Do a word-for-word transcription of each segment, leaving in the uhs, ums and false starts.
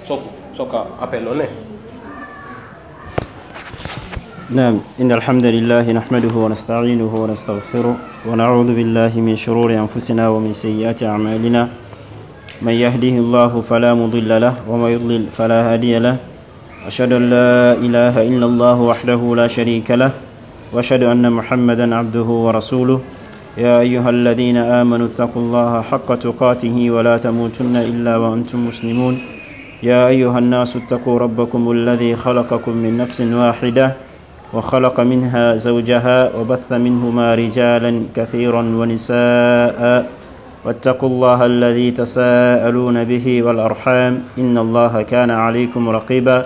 Soko, soko appel o ne. نعم، إن الحمد لله نحمده ونستعينه ونستغفره، ونعوذ بالله من شرور أنفسنا ومن سيئات أعمالنا. من يهده الله فلا مضل له، ومن يضلل فلا هادي له. أشهد أن لا إله إلا الله وحده لا شريك له، وأشهد أن محمدا عبده ورسوله. يا أيها الذين آمنوا اتقوا الله حق تقاته ولا تموتن إلا وأنتم مسلمون. يا أيها الناس اتقوا ربكم الذي خلقكم من نفس واحدة وخلق منها زوجها وبث منهما رجالا كثيرا ونساء، واتقوا الله الذي تساءلون به والأرحام، إن الله كان عليكم رقيبا.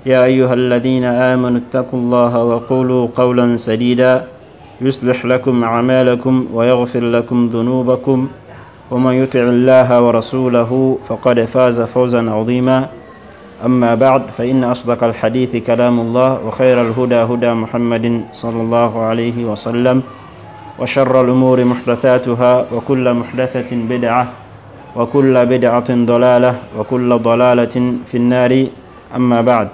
يا أيها الذين آمنوا اتقوا الله وقولوا قولا سديدا، يصلح لكم أعمالكم ويغفر لكم ذنوبكم، ومن يطع الله ورسوله فقد فاز فوزا عظيما. أما بعد، فإن أصدق الحديث كلام الله، وخير الهدى هدى محمد صلى الله عليه وسلم، وشر الأمور محدثاتها، وكل محدثة بدعة، وكل بدعة ضلالة، وكل ضلالة في النار. أما بعد.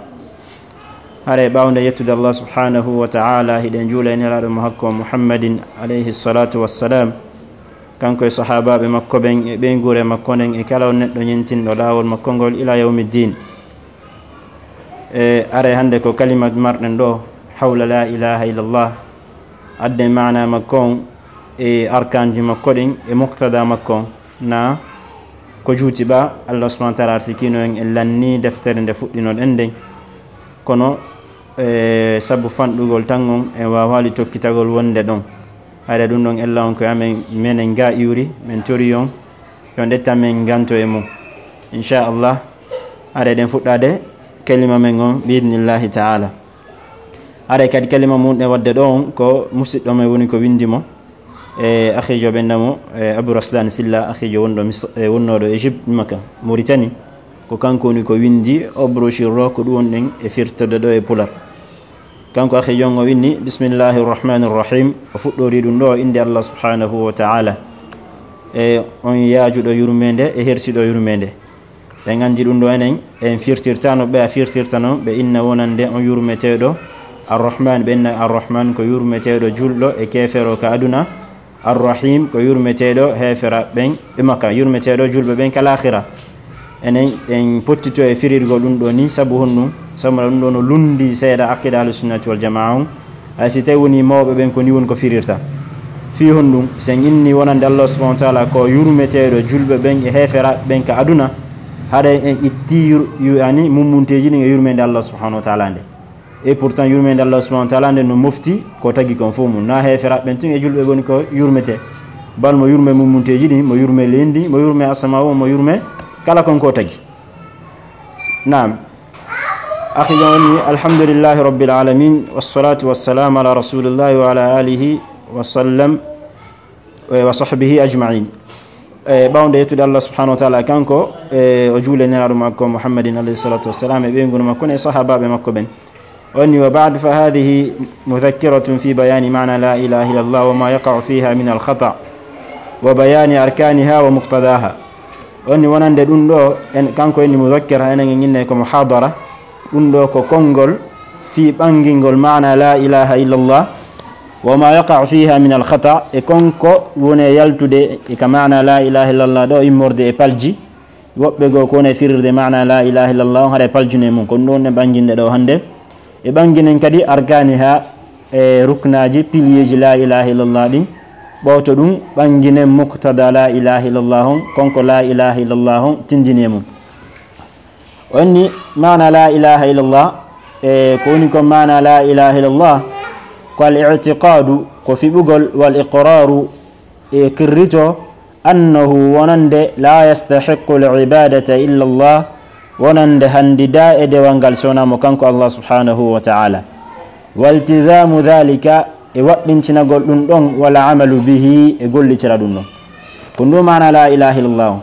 Hare ɓawnde yettude Allah subhanahu wa ta'ala, hiɗen juula e nelaaɗo mo hakko Muhammadin alayhi salatu wassalam, kanko e sahaabaaɓe makko ɓen e ɓeynguure makko nden e kala on neɗɗo ñintinɗo laawol makko ngol ila yawmi ddin. E are hannde ko kalima marɗen ɗo hawla la ilaha illallah, adden maana makko on e arkanji makko ɗin e muqtada makko on, na ko juuti ɓa Allah subhanahu wa ta'ala arsikino en e lanni deftere nde fuɗɗinoɗen nden. Kono e sabu fanɗugol tan on en waawaali tokkitagol wonde ɗon. Hare ɗum ɗon ella on ko amen menen ga iwri, men tori on yo ndetta men nganto e mum. Inchallah, hare ɗen fuɗɗade kalima men on biidnillahi ta'ala. Hare kadi kalima mum ɗe wadde ɗo on ko musiɗɗo men woni ko windi mo. E akhijo ɓenna mo e Abou Raslan Silla, akhijo wonɗo Mis- e wonnooɗo Égypte, Maka, Mauritanie. Ko kanko woni ko windi o brochure ɗo, ko ɗum wonɗen e firtode ɗo e pular. Kanko akhijo on o winni bismillahi rrahmani rrahim, o fuɗɗori ɗum ɗo innde Allah subhanahu wa ta'ala. E on yaajuɗo yurmeende e hersiɗo yurmeende. Ɓen anndi ɗum ɗo enen en firtirtano ɓe a firtirta non ɓe inna wonande on yurmeteeɗo Arrahman, ɓe inna Arrahman ko yurmeteeɗo julɗo e keefero ka aduna. Arrahim ko yurmeteeɗo heefera ɓen e makka, yurmeteeɗo julɓe ɓen ka laakhira. Enen en pottito e firirgol ɗum ɗo ni, sabu honɗum? Sabu ɗum ɗo no lundi seeɗa aqida ahlusunnati wal jamaa on. Hay si tawi woni mawɓe ɓen ko ni woni ko firirta. Fii honɗum? Sen inni wonande Allah subhanahu wa ta'ala ko yurmeteeɗo julɓe ɓen e heeferaaɓe ɓen ka aduna, haɗa en itti yur- yu- yani mummunteeji ɗin e yurmeende Allah subhanahu wa ta'ala nde. Et pourtant yurmeende Allah subhanahu wa ta'ala nde no mofti ko tagi kon fof mum. Na heeferaaɓe ɓen tun e julɓe woni ko yurmetee. Bal mo yurme mummunteeji ɗin, mo yurme leydi, mo yurme asamaa o, mo yurme kala kon ko tagi. Naam. Akhi jon woni, alhamdulillahi rabbil alamin, wassalatu wassalamu ala rasulillahi wa ala alihi wa sallam, eh, wa sahbihi ajma'in. Eh, ɓawnde yettude Allah subhanahu wa ta'ala kanko, eh, o juule nelaaɗo makko Muhammadin alayhi salatu wassalam e ɓeynguure makko e sahaabaaɓe makko ɓen. O inni, wa ba'd, fa hadhihi mudhakkiratun fi bayani ma'na la ilaha illallah wa ma yaqa'u fiha min al khata' wa bayani arkaniha wa muqtadaha. O inni wonande ɗum ɗo, en, kanko inni mudhakkira, enen en inne ko muhadara. Ɗum ɗo ko konngol fii ɓangingol maana la ilaha illallah, wa ma yaqa'u fiha min al khata', e konko woni e yaltude e ka maana la ilaha illallah ɗo immorde e palji. Woɓɓe goo ko woni e firirde maana la ilaha illallah on haɗa e paljune mum. Ko ɗum ɗo wonɗen ɓanginde ɗo hannde. E ɓanginen kadi arkaniha, e ruknaaji, piliyeeji la ilaha illallah ɗin. Ɓawto ɗum ɓanginen muqtada la ilaha illallah on, konko la ilaha illallah on tindini e mum. O inni maana la ilaha illallah, e ko woni kon maana la ilaha illallah, ko al i'tiqadu, ko fiɓugol, wal iqraru, e qirrito, annahu, wonande, la yastahiqqu al ibadata illa Allah, wonande handida e dewal ngal sona mo kanko Allah subhanahu wa ta'ala. Waltizamu dhalika, e waɗɗintinagol ɗum ɗon, wala amalu bihi, e gollitira ɗum ɗon. Ko ndu maana la ilaha illallah on.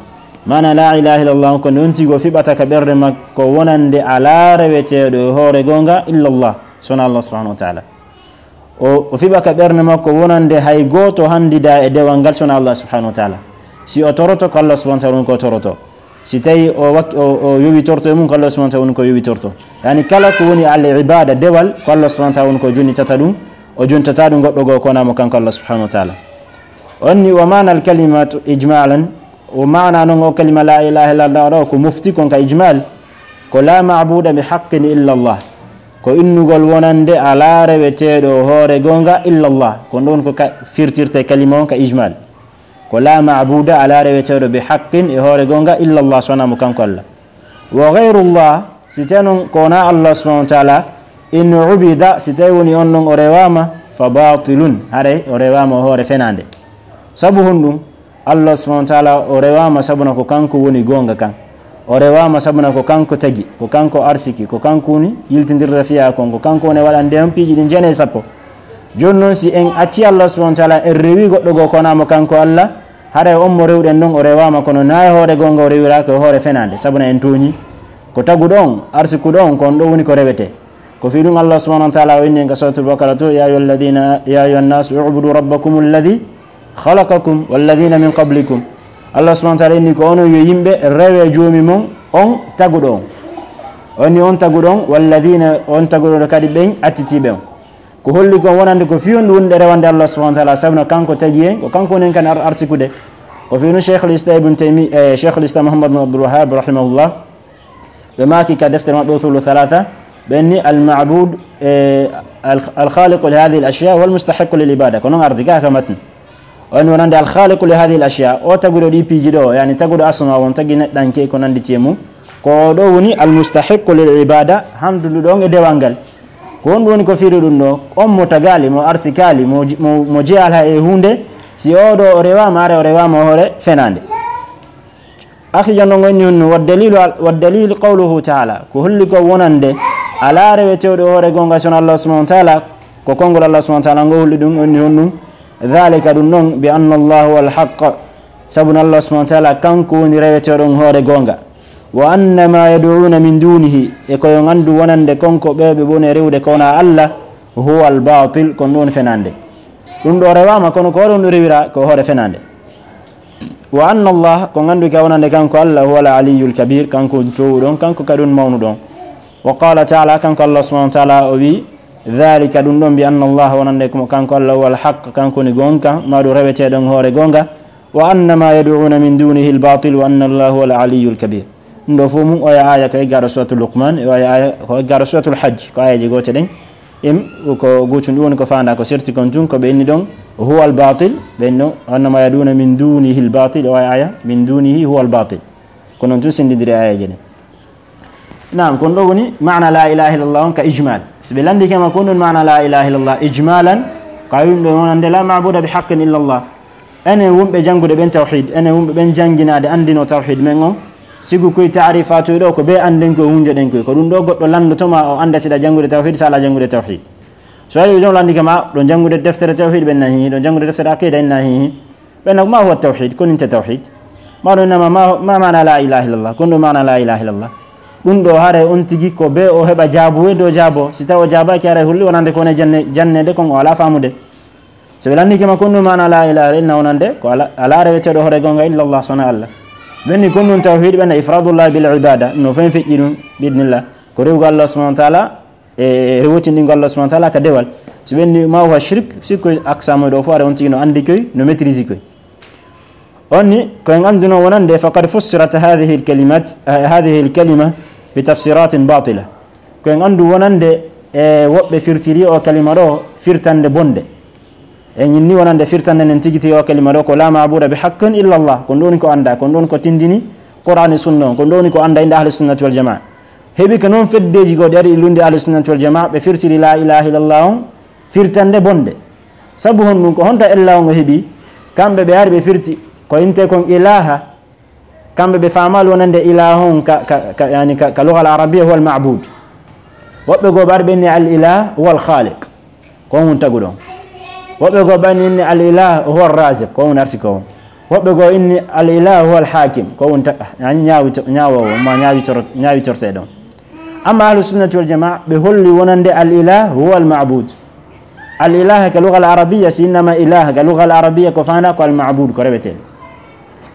Maana la ilaha illallah on ko nde on tigi o fiɓata ka ɓernde makko wonande alaa reweteeɗo e hoore goonga illallah, sona Allah subhanahu wa ta'ala. O, o fiɓa ka ɓernde makko wonande hay gooto handida e dewal ngal sona Allah subhanahu wa ta'ala. Si o toroto, ko Allah subhanahu wa ta'ala woni ko toroto. Si tawi o wak-, o, o yowitorto e mum, ko Allah subhanahu wa ta'ala woni ko yowitorto. Yani kala ko woni al ibada, dewal, ko Allah subhanahu wa ta'ala woni ko jonnitata ɗum, o jontata ɗum goɗɗo goo ko wonaa mo kanko Allah subhanahu wa ta'ala. On ni, wa ma'na al kalimatu ijmalan, o maana non o kalima la ilaha illallah ɗo ko mofti kon ka ijmal, ko la ma'buda bi haqqin illa Allah. Ko innugol wonande alaa reweteeɗo hoore goonga illa Allah. Ko ɗon ko ka firtirte kalima on ka ijmal. Ko la ma'buda, alaa reweteeɗo bi haqqin e hoore goonga illa Allah, so wonaa mo kanko Allah. Wa ghayrullah, si tawi non ko wonaa Allah subhanahu wa ta'ala, in ubida, si tawi woni on non o rewaama, fa batilun, haray o rewaama o hoore fenaande. Sabu honɗum? Allah subhanahu wa ta'ala o rewaama sabuna ko kanko woni goonga kan. O rewaama sabuna ko kanko tagi, ko kanko arsiki, ko kanko woni yiltindirta fiyaa kon, ko kanko woni waɗande on piiji ɗin jeenayi sappo. Jooni non si en acci Allah subhanahu wa ta'ala, en rewi goɗɗo goo ko wonaa mo kanko Allah, haray on mo rewɗen non o rewaama, kono naa e hoore goonga o rewiraaka, e hoore fenaande, sabuna en tooñi. Ko taguɗo on, arsikuɗo on, ko on ɗo woni ko rewetee. Ko fii ɗum Allah subhanahu wa ta'ala o inni en ka Suratul Baqara to, "Ya ayyuhalladhina, ya ayyuhan nasu u'budu rabbakum alladhi khalaqakum walladhina min qablikum." Allah subhanahu wa ta'ala inni ko onon yo yimɓe, rewe joomi mon, on taguɗo on. O inni on taguɗo on, walladhina, on taguɗo kadi ɓen attitiiɓe on. Ko holli kon wonande ko fii on ɗum woni ɗe rewande Allah subhanahu wa ta'ala, sabuna kanko tagi en, ko kanko woni en kan ar-, arsikude. Ko fii ɗum Shaykhul Islam Ibn Taymi-, eh, Shaykhul Islam Muhammad bin Abdul Wahhab rahimahullah, ɓe maaki ka deftere maɓɓe Usulu Thalatha, ɓe inni al-ma'bud, eh, al-, al-khaliqu li hadhihi al-ashya wal mustahiqqu lil ibada. Ko non ardi ka ka matn. On wonande al-khaliqu li hadhihi al-ashya, o taguɗo ɗi piiji ɗo, yani taguɗo asma on, tagi neɗɗanke ko nandi e mum, ko o ɗo woni al-mustahiqqu lil ibada, handuɗo ɗon e dewal ngal. Ko honɗum woni ko fii ɗum ɗo? On mo tagaali, mo arsikaali, mo ji-, mo, mo jeyaali e huunde, si o ɗo o rewaama, haray o rewaama o hoore fenaande. Akhi, jooni non on ni honno, wa dalilu al-, wa dalil qawluhu ta'ala, ko holli ko wonande alaa reweteeɗo hoore goonga si wonaa Allah subhanahu wa ta'ala, ko konngol Allah subhanahu wa ta'ala ngo holli ɗum, on ni honɗum, dhalika, ɗum ɗon, bi anna Allah huwa al-haqq, sabu Allah subhanahu wa ta'ala kanko woni reweteeɗo on hoore goonga, wa anna ma yad'una min dunihi, e ko yo nganndu wonande kon ko ɓe ɓe woni rewde ko wonaa Allah, huwa al-batil, ko ɗum woni fenaande. Ɗum ɗo rewaama, kono ko ɗum ɗo rewira ko hoore fenaande. Wa anna Allah, ko nganndu ka wonande kanko Allah, huwa al-aliyyul kabir, kanko toowuɗo on, kanko kadi on mawnuɗo on. Wa qala ta'ala, kanko Allah subhanahu wa ta'ala o wi, dhalika, ɗum ɗon, bi anna Allah, wonande ko kanko Allah, huwa al-haqq, kanko woni goonga, ma ɗum reweteeɗo on hoore goonga, wa anna ma yad'una min dunihi al-batil, wa anna Allah huwa al-aliyyul kabir. Ɗum ɗo fof mum oya aaya ko eggaaɗo Suratul Luqman, e oya aaya ko eggaaɗo Suratul Hajj, ko aayeeje goote ɗen. Im, ko gootum ɗum woni ko faandaa ko serti kon tun, ko ɓe inni ɗon, huwa al-batil, ɓe inni ɗon, wa anna ma yad'una min dunihi al-batil, oya aaya, min dunihi huwa al-batil. Ko non tun senndindiri aayeeje ɗen. Naam, kon ɗo woni maana la ilaha illallah on ka ijmal. Si ɓe lanndike ma kon ɗon maana la ilaha illallah ijmalan, ko a wi'uɗo wonande la ma'buda bi haqqin illallah. Enen wonɓe janngude ɓen tawhid, enen wonɓe ɓen jannginaade anndino tawhid men on, sibu koye taarifaatu ɗo ko bee annden koye hunjoɗen koye. Ko ɗum ɗo goɗɗo lanndoto ma o annda si ɗa janngude tawhid, si alaa janngude tawhid. So a wi'i ɗon lanndike ma, ɗo janngude deftere tawhid ɓen na hihi, ɗo janngude deftere aqida en na hihi. Ɓen na ma huwa tawhid, ko ninte tawhid. Ma ɗo innama ma, ma maana la ilaha illallah, kon ɗo maana la ilaha illallah. Ɗum ɗo haray on tigi ko bee o heɓa jaabuwe dow jaabo. Si taw o jaabaaki haray holli wonande ko woni janne, jannede kon o alaa faamude. So ɓe lanndike ma kon ɗum maana la ilaha illa wonande ko ala, alaa reweteeɗo hoore goonga illa Allah, sona Allah. Ɓen ni kon ɗum tawhid, ɓen na ifradullah bil ibada, no fen feƴƴi ɗum, bi idnillah. Ko rewugol Allah subhanahu wa ta'ala, e rewotindingol Allah subhanahu wa ta'ala ka dewal. So ɓen ni ma huwa shirk, si ko aksamu ɗo fof, ara on tigi no anndi koy, no maîtrise koy. On ni, ko en annduno wonande, faqad fussirat hadhihi al-kalimat, eh, hadhihi al-kalima bi tafsiratin batila. Ko en anndu wonande, e woɓɓe firtiri o kalima ɗo firtande bonde. En inni wonande firtande nden tigi tigi o kalima ɗo ko la ma'buda bi haqqin illa Allah. Ko ɗum woni ko annda, ko ɗum woni ko tindini Qur'an e Sunna on, ko ɗum woni ko annda innde Ahli Sunnati wal Jamaa. Heɓi ko noon feddeeji goo ɗi ari e lunnde Ahli Sunnati wal Jamaa, ɓe firtiri la ilaha illallah on firtande bonde. Sabu honɗum? Ko honto ella on o heɓi? Kamɓe ɓe ari ɓe firti ko innte kon ilaha. Kamɓe ɓe faamaali wonande ilaha on ka, ka, ka, yani ka, ka lugal arabiya huwa al ma'bud. Woɓɓe goo ɓe ari ɓe inni al ilah huwa al khaliq. Ko on woni taguɗo on. Woɓɓe goo ɓe inni al ilah huwa ar-raziq, ko on woni arsiko on. Woɓɓe goo inni al ilah huwa al hakim, ko on woni ta-, yani ñaawito-, ñaawoowo, ma ñaawitoro-, ñaawitorteeɗo on. Amma Ahlu Sunnati wal Jamaa, ɓe holli wonande al ilah huwa al ma'bud. Al ilah ka lugal arabiya, si innama ilah ka lugal arabiya ko faandaa ko al ma'bud, ko reweteeɗo.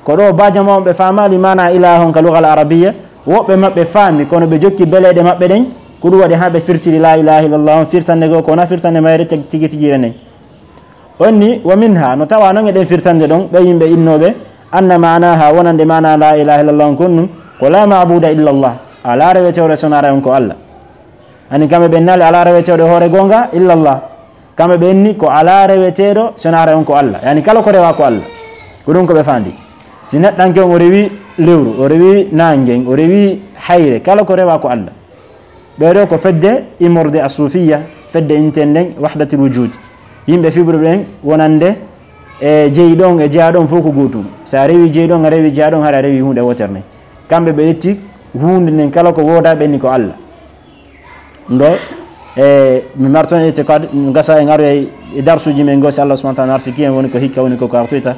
Ko ɗo baajo ma on ɓe faamaali maana ilaha on ka lugal arabiya, woɓɓe maɓɓe faami, kono ɓe jokki beleeɗe maɓɓe ɗen, ko ɗum waɗi haa ɓe firtiri la ilaha illallah on, firtande goo ko wona firtande mayre teg-, tigi tigi ren nden. On ni, wa minha, no tawa non e ɗen firtande ɗon, ɓe yimɓe innooɓe, anna maanaha, wonande maana la ilaha illallah on kon ɗum, ko la maabuda illallah, alaa reweteeɗo so wonaa on ko Allah. Ani kamɓe ɓe naali alaa reweteeɗo hoore goonga illallah. Kamɓe ɓe inni ko alaa reweteeɗo so wonaa on ko Allah. Yani kala ko rewa ko Allah. Ko ɗum ko ɓe faandi. Si neɗɗanke on o rewi lewru, o rewi naangen, o rewi hayre, kala ko rewa ko Allah. Ɓee ɗoo ko fedde immorde a suufiya, fedde inten nden wahdatul wujud. Yimɓe fiɓruɓe ɓen wonande e jeyi ɗon e jeya ɗon fof ko gootum. So a rewi jeyi ɗon, a rewi jeya ɗon, hara a rewi huunde wootere nden. Kamɓe ɓe ƴetti huunde nden kala ko woodaa ɓe inni ko Allah. Ndo, e, mi marton itiqad, gasa en aroya e darsuuji men goo, si Allah subhanahu wa ta'ala arsiki en, woni ko hikka, woni ko ko artoyta.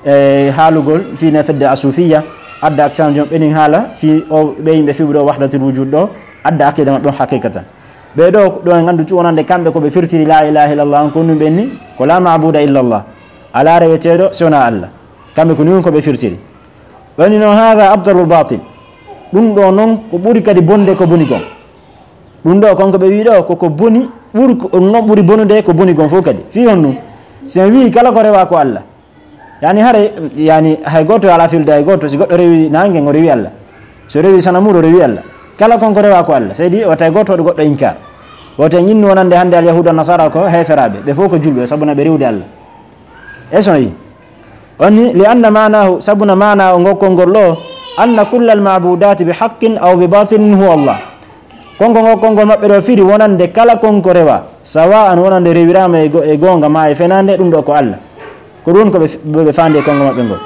E, haalugol fii ne fedde a suufiya, adda ak sanjon ɓenin haala fii o ɓe yimɓe fiɓuɗo wahdatul wujud ɗo, adda akida maɓɓe on haqiqatan. Ɓee ɗoo, ɗo en anndu tu wonande kamɓe ko ɓe firtiri la ilaha illallah on, ko ɗum ɓe inni ko la maabuda illallah. Alaa reweteeɗo si wonaa Allah. Kamɓe ko ni on ko ɓe firtiri. Ɓe inni noon, hada abdalul batil. Ɗum ɗo noon ko ɓuri kadi bonde ko boni kon. Ɗum ɗo kon ko ɓe wii ɗo, ko, ko boni, ɓuri ko, on noon ɓuri bonude ko boni kon fof kadi. Fii honɗum? Si en wii kala ko rewa ko Allah. Yani hare, yani hay gooto alaa filde hay gooto, si goɗɗo rewi naange, o rewi Allah. So rewi sanamuuɗo, o rewi Allah. Kala kon ko rewa ko Allah. Seydi, wata hay gooto waɗu goɗɗo inkar. Wata en innu wonande hannde al yahuudu an nasara ko heeferaaɓe. Ɓe fof ko julɓe, sabu na ɓe rewde Allah. Est-ce que on yi? On ni, li anna maanahu, sabu na maana o ngokkol ngol ɗo, anna kulla al maabudati bi haqqin aw bi batilin huwa Allah. Kon ko ngokkol ngol maɓɓe ɗo firi wonande kala kon ko rewa, sawa an wonande rewiraama e go-, e goonga ma e fenaande, ɗum ɗo ko Allah. Ko ɗum ko ɓe f-, ɓe faandi e konngol maɓɓe ngol.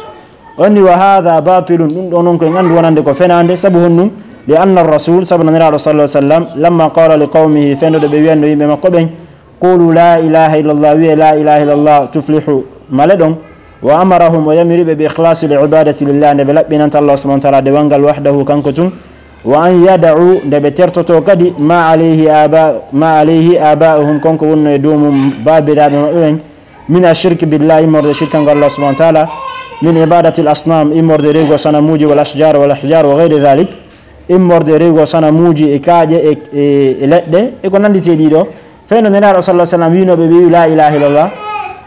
On ni, wa hada batilun, ɗum ɗo noon ko en anndu wonande ko fenaande, sabu honɗum? Li anna rasul, sabu na Nelaaɗo sallallahu alaihi wasallam, lamma qala li qawmihi, fenndo ɗo ɓe wiyanno yimɓe makko ɓen, qulu la ilaha illallah, wiye la ilaha illallah, tuflihu, maleɗon. Wa amarahum, o yamiri ɓe bi ikhlasi l ibadati lillah, nde ɓe laɓɓinanta Allah subhanahu wa ta'ala dewal ngal wahdahu, kanko tun. Wa an yada'u, nde ɓe tertoto kadi, ma alayhi aba-, ma alayhi aba'uhum, kon ko wonno e dow mum baabiraaɓe maɓɓe ɓen, min ashirki billahi, immorde shirkango Allah subhanahu wa ta'ala, min ibadati l asnam, immorde rewgo sanamuuji, wal ashjar, wal ahjar, wa ghayri dhalik, immorde rewgo sanamuuji e kaaƴe e, e, e leɗɗe, e ko nannditi e ɗii ɗoo. Fenndo Nelaaɗo sallallahu alaihi wasallam wiino ɓe, ɓe wi'i la ilaha illallah.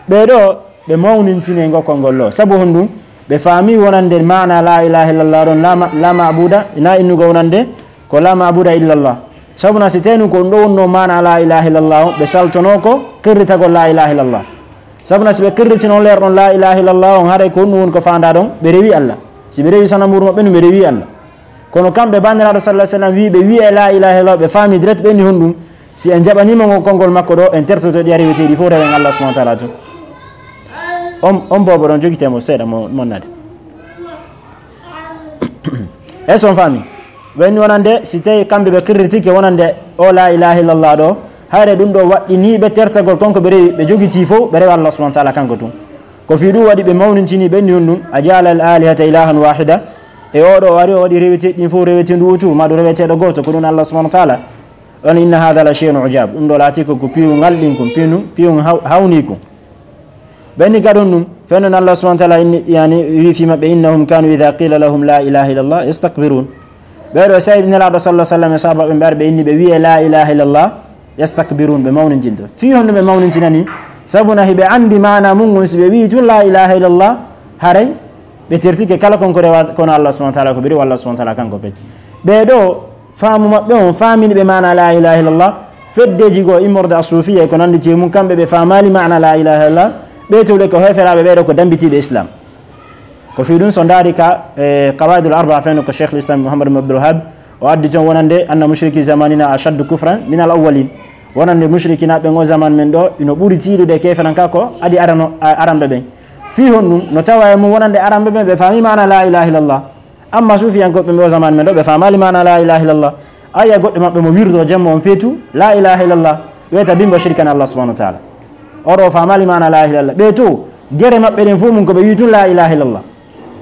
Ɓee ɗoo, ɓe mawnintini e ngokkol ngol ɗoo. Sabu honɗum? Ɓe faami wonande maana la ilaha illallah ɗon, la ma-, la maabuda, ina innugo wonande ko la maabuda illallah. Sabu na si tawii ko ɗum ɗo wonno maana la ilaha illallah on, ɓe saltono ko qirritagol la ilaha illallah. Sabu na si ɓe qirritino leer ɗon la ilaha illallah on, haray ko ɗum woni ko faandaa ɗon, ɓe rewi Allah. Si ɓe rewi sanamuuru maɓɓe ndun, ɓe rewi Allah. Kono kamɓe, ba Nelaaɗo sallallahu alaihi wasallam wi'i ɓe wi'e la ilaha illallah, ɓe faami direct, ɓe inni honɗum? Si en jaɓaniima ngokkol ngol makko ɗo, en tertoto ɗi a reweteeɗi fof, rewen Allah subhanahu wa ta'ala tun. On, on boobo ɗon, jogitee mo seeɗa mo, mo naade. Est-ce que on faami? Ɓe inni wonande, si tawii kamɓe ɓe qirritike wonande o la ilaha illallah ɗo, hayre ɗum ɗo waɗɗinii ɓe tertagol kon ko ɓe rewi, ɓe jogitii fof, ɓe rewa Allah subhanahu wa ta'ala kanko tun. Ko fii ɗum waɗi ɓe mawnintini, ɓe inni honɗum, a ja'ala al alihata ilahan wahida, e oo ɗo o ari o waɗi reweteeɗi ɗin fof reweteendu wooturu, maa ɗum reweteeɗo gooto, ko ɗum Allah subhanahu wa ta'ala. On, inna hadha la shay'un ujab. Ɗum ɗo laati ko, ko piiwungal ɗin kon, piiwun, piiwun haw-, hawni kon. Ɓe inni ka ɗum ɗum, fenndo Allah subhanahu wa ta'ala inni, yani, wi fii maɓɓe, innahum kanu idha qila lahum la ilaha illallah yastakbirun. Ɓee ɗoo, si Nelaaɗo sallallahu alaihi wasallam e sahaabaaɓe ɓe ari, ɓe inni ɓe wi'e la ilaha illallah, yastakbirun, ɓe mawnintinto. Fii honɗum ɓe mawnintinani? Sabu na hiɓe anndi maana mun ngun, si ɓe wi'i tun la ilaha illallah, haray ɓe tertike kala kon ko rewa kono Allah subhanahu wa ta'ala, ko ɓe rewa Allah subhanahu wa ta'ala kanko pet. Ɓee ɗoo, faamu maɓɓe on faamini ɓe maana la ilaha illallah, feddeeji goo immorde a suufiya e ko nannditi e mun, kamɓe ɓe faamaali maana la ilaha illallah, ɓee towle ko heeferaaɓe, ɓee ɗoo ko dammbitiiɓe Islam. Ko fii ɗum, so ndaari ka, e, Qawaidul Arba'a, fenndo ko Cheikh al-Islam Muhammad ibn Abdul Wahhab, o addi toon wonande anna mushriki zamanina ashaddu kufran min al awwalin. Wonande mushrikinaaɓe ɓen o zaman men ɗo, ino ɓuri tiiɗude keeferan ka ko adi arano-, a-, aranɓe ɓen. Fii honɗum? No tawa e mum wonande aranɓe ɓen, ɓe faami maana la ilaha illallah. Amma suufiyankooɓe ɓen o zaman men ɗo, ɓe faamaali maana la ilaha illallah. A yi'a goɗɗo maɓɓe mo wirdo jemma on peetu, la ilaha illallah. Wiyata bimbo shirkan Allah subhanahu wa ta'ala. Oro faamaali maana la ilaha illallah. Ɓee to, gere maɓɓe ɗen fof mum ko ɓe wi'i tun la ilaha illallah.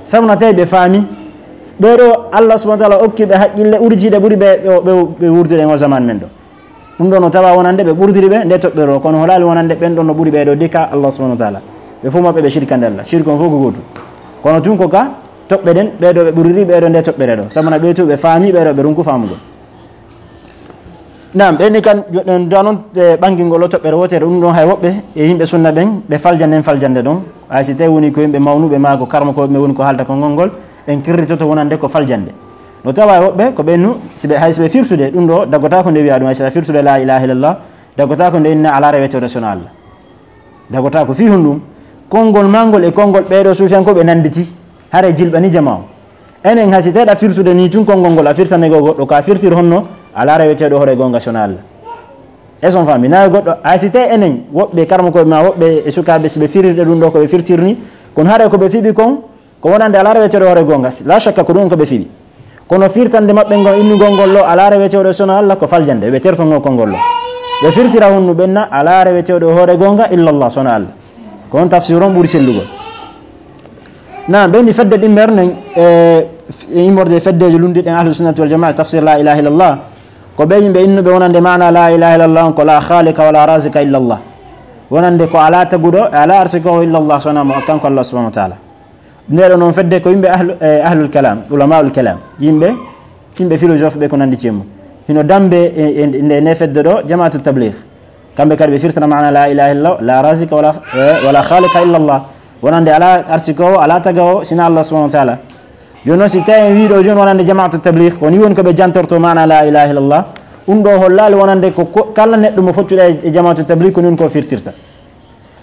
Sabu na tawi ɓe faami. Ɓee ɗoo Allah subhanahu wa ta'ala okki ɓe haqqille urtiiɗe ɓuri ɓe, ɓe, ɓe, ɓe wurdude e o zaman men ɗo. Ɗum ɗoo no tawa wonande ɓe ɓurdiri ɓe nde toɓɓere ɗo, kono holaali wonande ɓen ɗon no ɓuri ɓee ɗoo de ka Allah subhanahu wa ta'ala. Ɓe fof maɓɓe ɓe shirkande Allah. Shirku on fof ko gootum. Kono tun ko ka toɓɓe ɗen, ɓeeɗo ɓe ɓuriri ɓeeɗo nde toɓɓere ɗo. Sabu na ɓee too ɓe faami, ɓeeɗo ɓe runku faamugol. Naam, ɓen ni kan, joɗɗen da non, e ɓangingol o toɓɓere wootere, ɗum ɗon hay woɓɓe e yimɓe sunna ɓen, ɓe faljanden faljande ɗon. Hay si tawi woni ko yimɓe mawnuɓe maa ko karmokooɓe ɓe woni ko haalta konngol ngol, en kirritoto wonande ko faljande. No tawa e woɓɓe ko ɓen nu, si ɓe, hay si ɓe firtude, ɗum ɗo daggotaako nde wiya ɗum, hay si a firtude laa ilaaha illallah, daggotaako nde inna alaa reweteeɗo so wonaa Allah. Daggotaako fii honɗum? Konngol maa ngol e konngol ɓeeɗo suufiyankooɓe nannditi, haray jilɓani jamaa o. Enen hay si tawi ɗa firtude nii tun konngol ngol a firtane goo goɗɗo, ko a firtir honno? Alaa reweteeɗo hoore goonga so wonaa Allah. Est-ce que on faami? Naa goɗɗo, hay si tawi enen woɓɓe karmokooɓe maa woɓɓe e sukaaɓe si ɓe firirde ɗum ɗo ko ɓe firtir nii, kono haray ko ɓe fiɓi kon, ko wonande alaa reweteeɗo hoore goonga, laa shakka ko ɗum ko ɓe fiɓi. Kono firtande maɓɓe ngon innugol ngol ɗo alaa reweteeɗo so wonaa Allah ko faljande, ɓe tertongo konngol ɗo. Ɓe firtira honnu ɓen na alaa reweteeɗo hoore goonga illa Allah so wonaa Allah. Ko on tafsir on ɓuri sellugol. Na ɓen ni fedde ɗimmer nen, e, f-, e immorde e feddeeji lunndiɗen Ahlu Sunnati wal Jamaa, tafsir laa ilaaha illallah. Ko ɓe yimɓe innuɓe wonande maana laa ilaaha illallah on ko laa khaaliqa wala raazika illa Allah. Wonande ko alaa taguɗo, e alaa arsikoowo illa Allah so wonaa mo, kanko Allah subhanahu wa taala. Nde ɗo noon fedde ko yimɓe ahlu, e, ahlul kalam, ulamaul kalam, yimɓe, yimɓe philosophe ɓe ko nanndi cemmu. Hino dambe e, e, nde, nde fedde ɗo, jamaatu tabligh. Kamɓe kadi ɓe firtana maana laa ilaaha illallah, laa raazika wala, e, wala khaaliqa illa Allah. Wonande alaa arsikoowo, alaa tagawo, sina Allah subhanahu wa taala. Jooni noon, si tawi en wii ɗo jooni wonande jamaatu tabligh, ko ni woni ko ɓe jantorto maana laa ilaaha illallah. Ɗum ɗo hollaali wonande ko, ko kala neɗɗo mo foccuɗa e, e jamaatu tabligh, ko ni woni ko firtirta.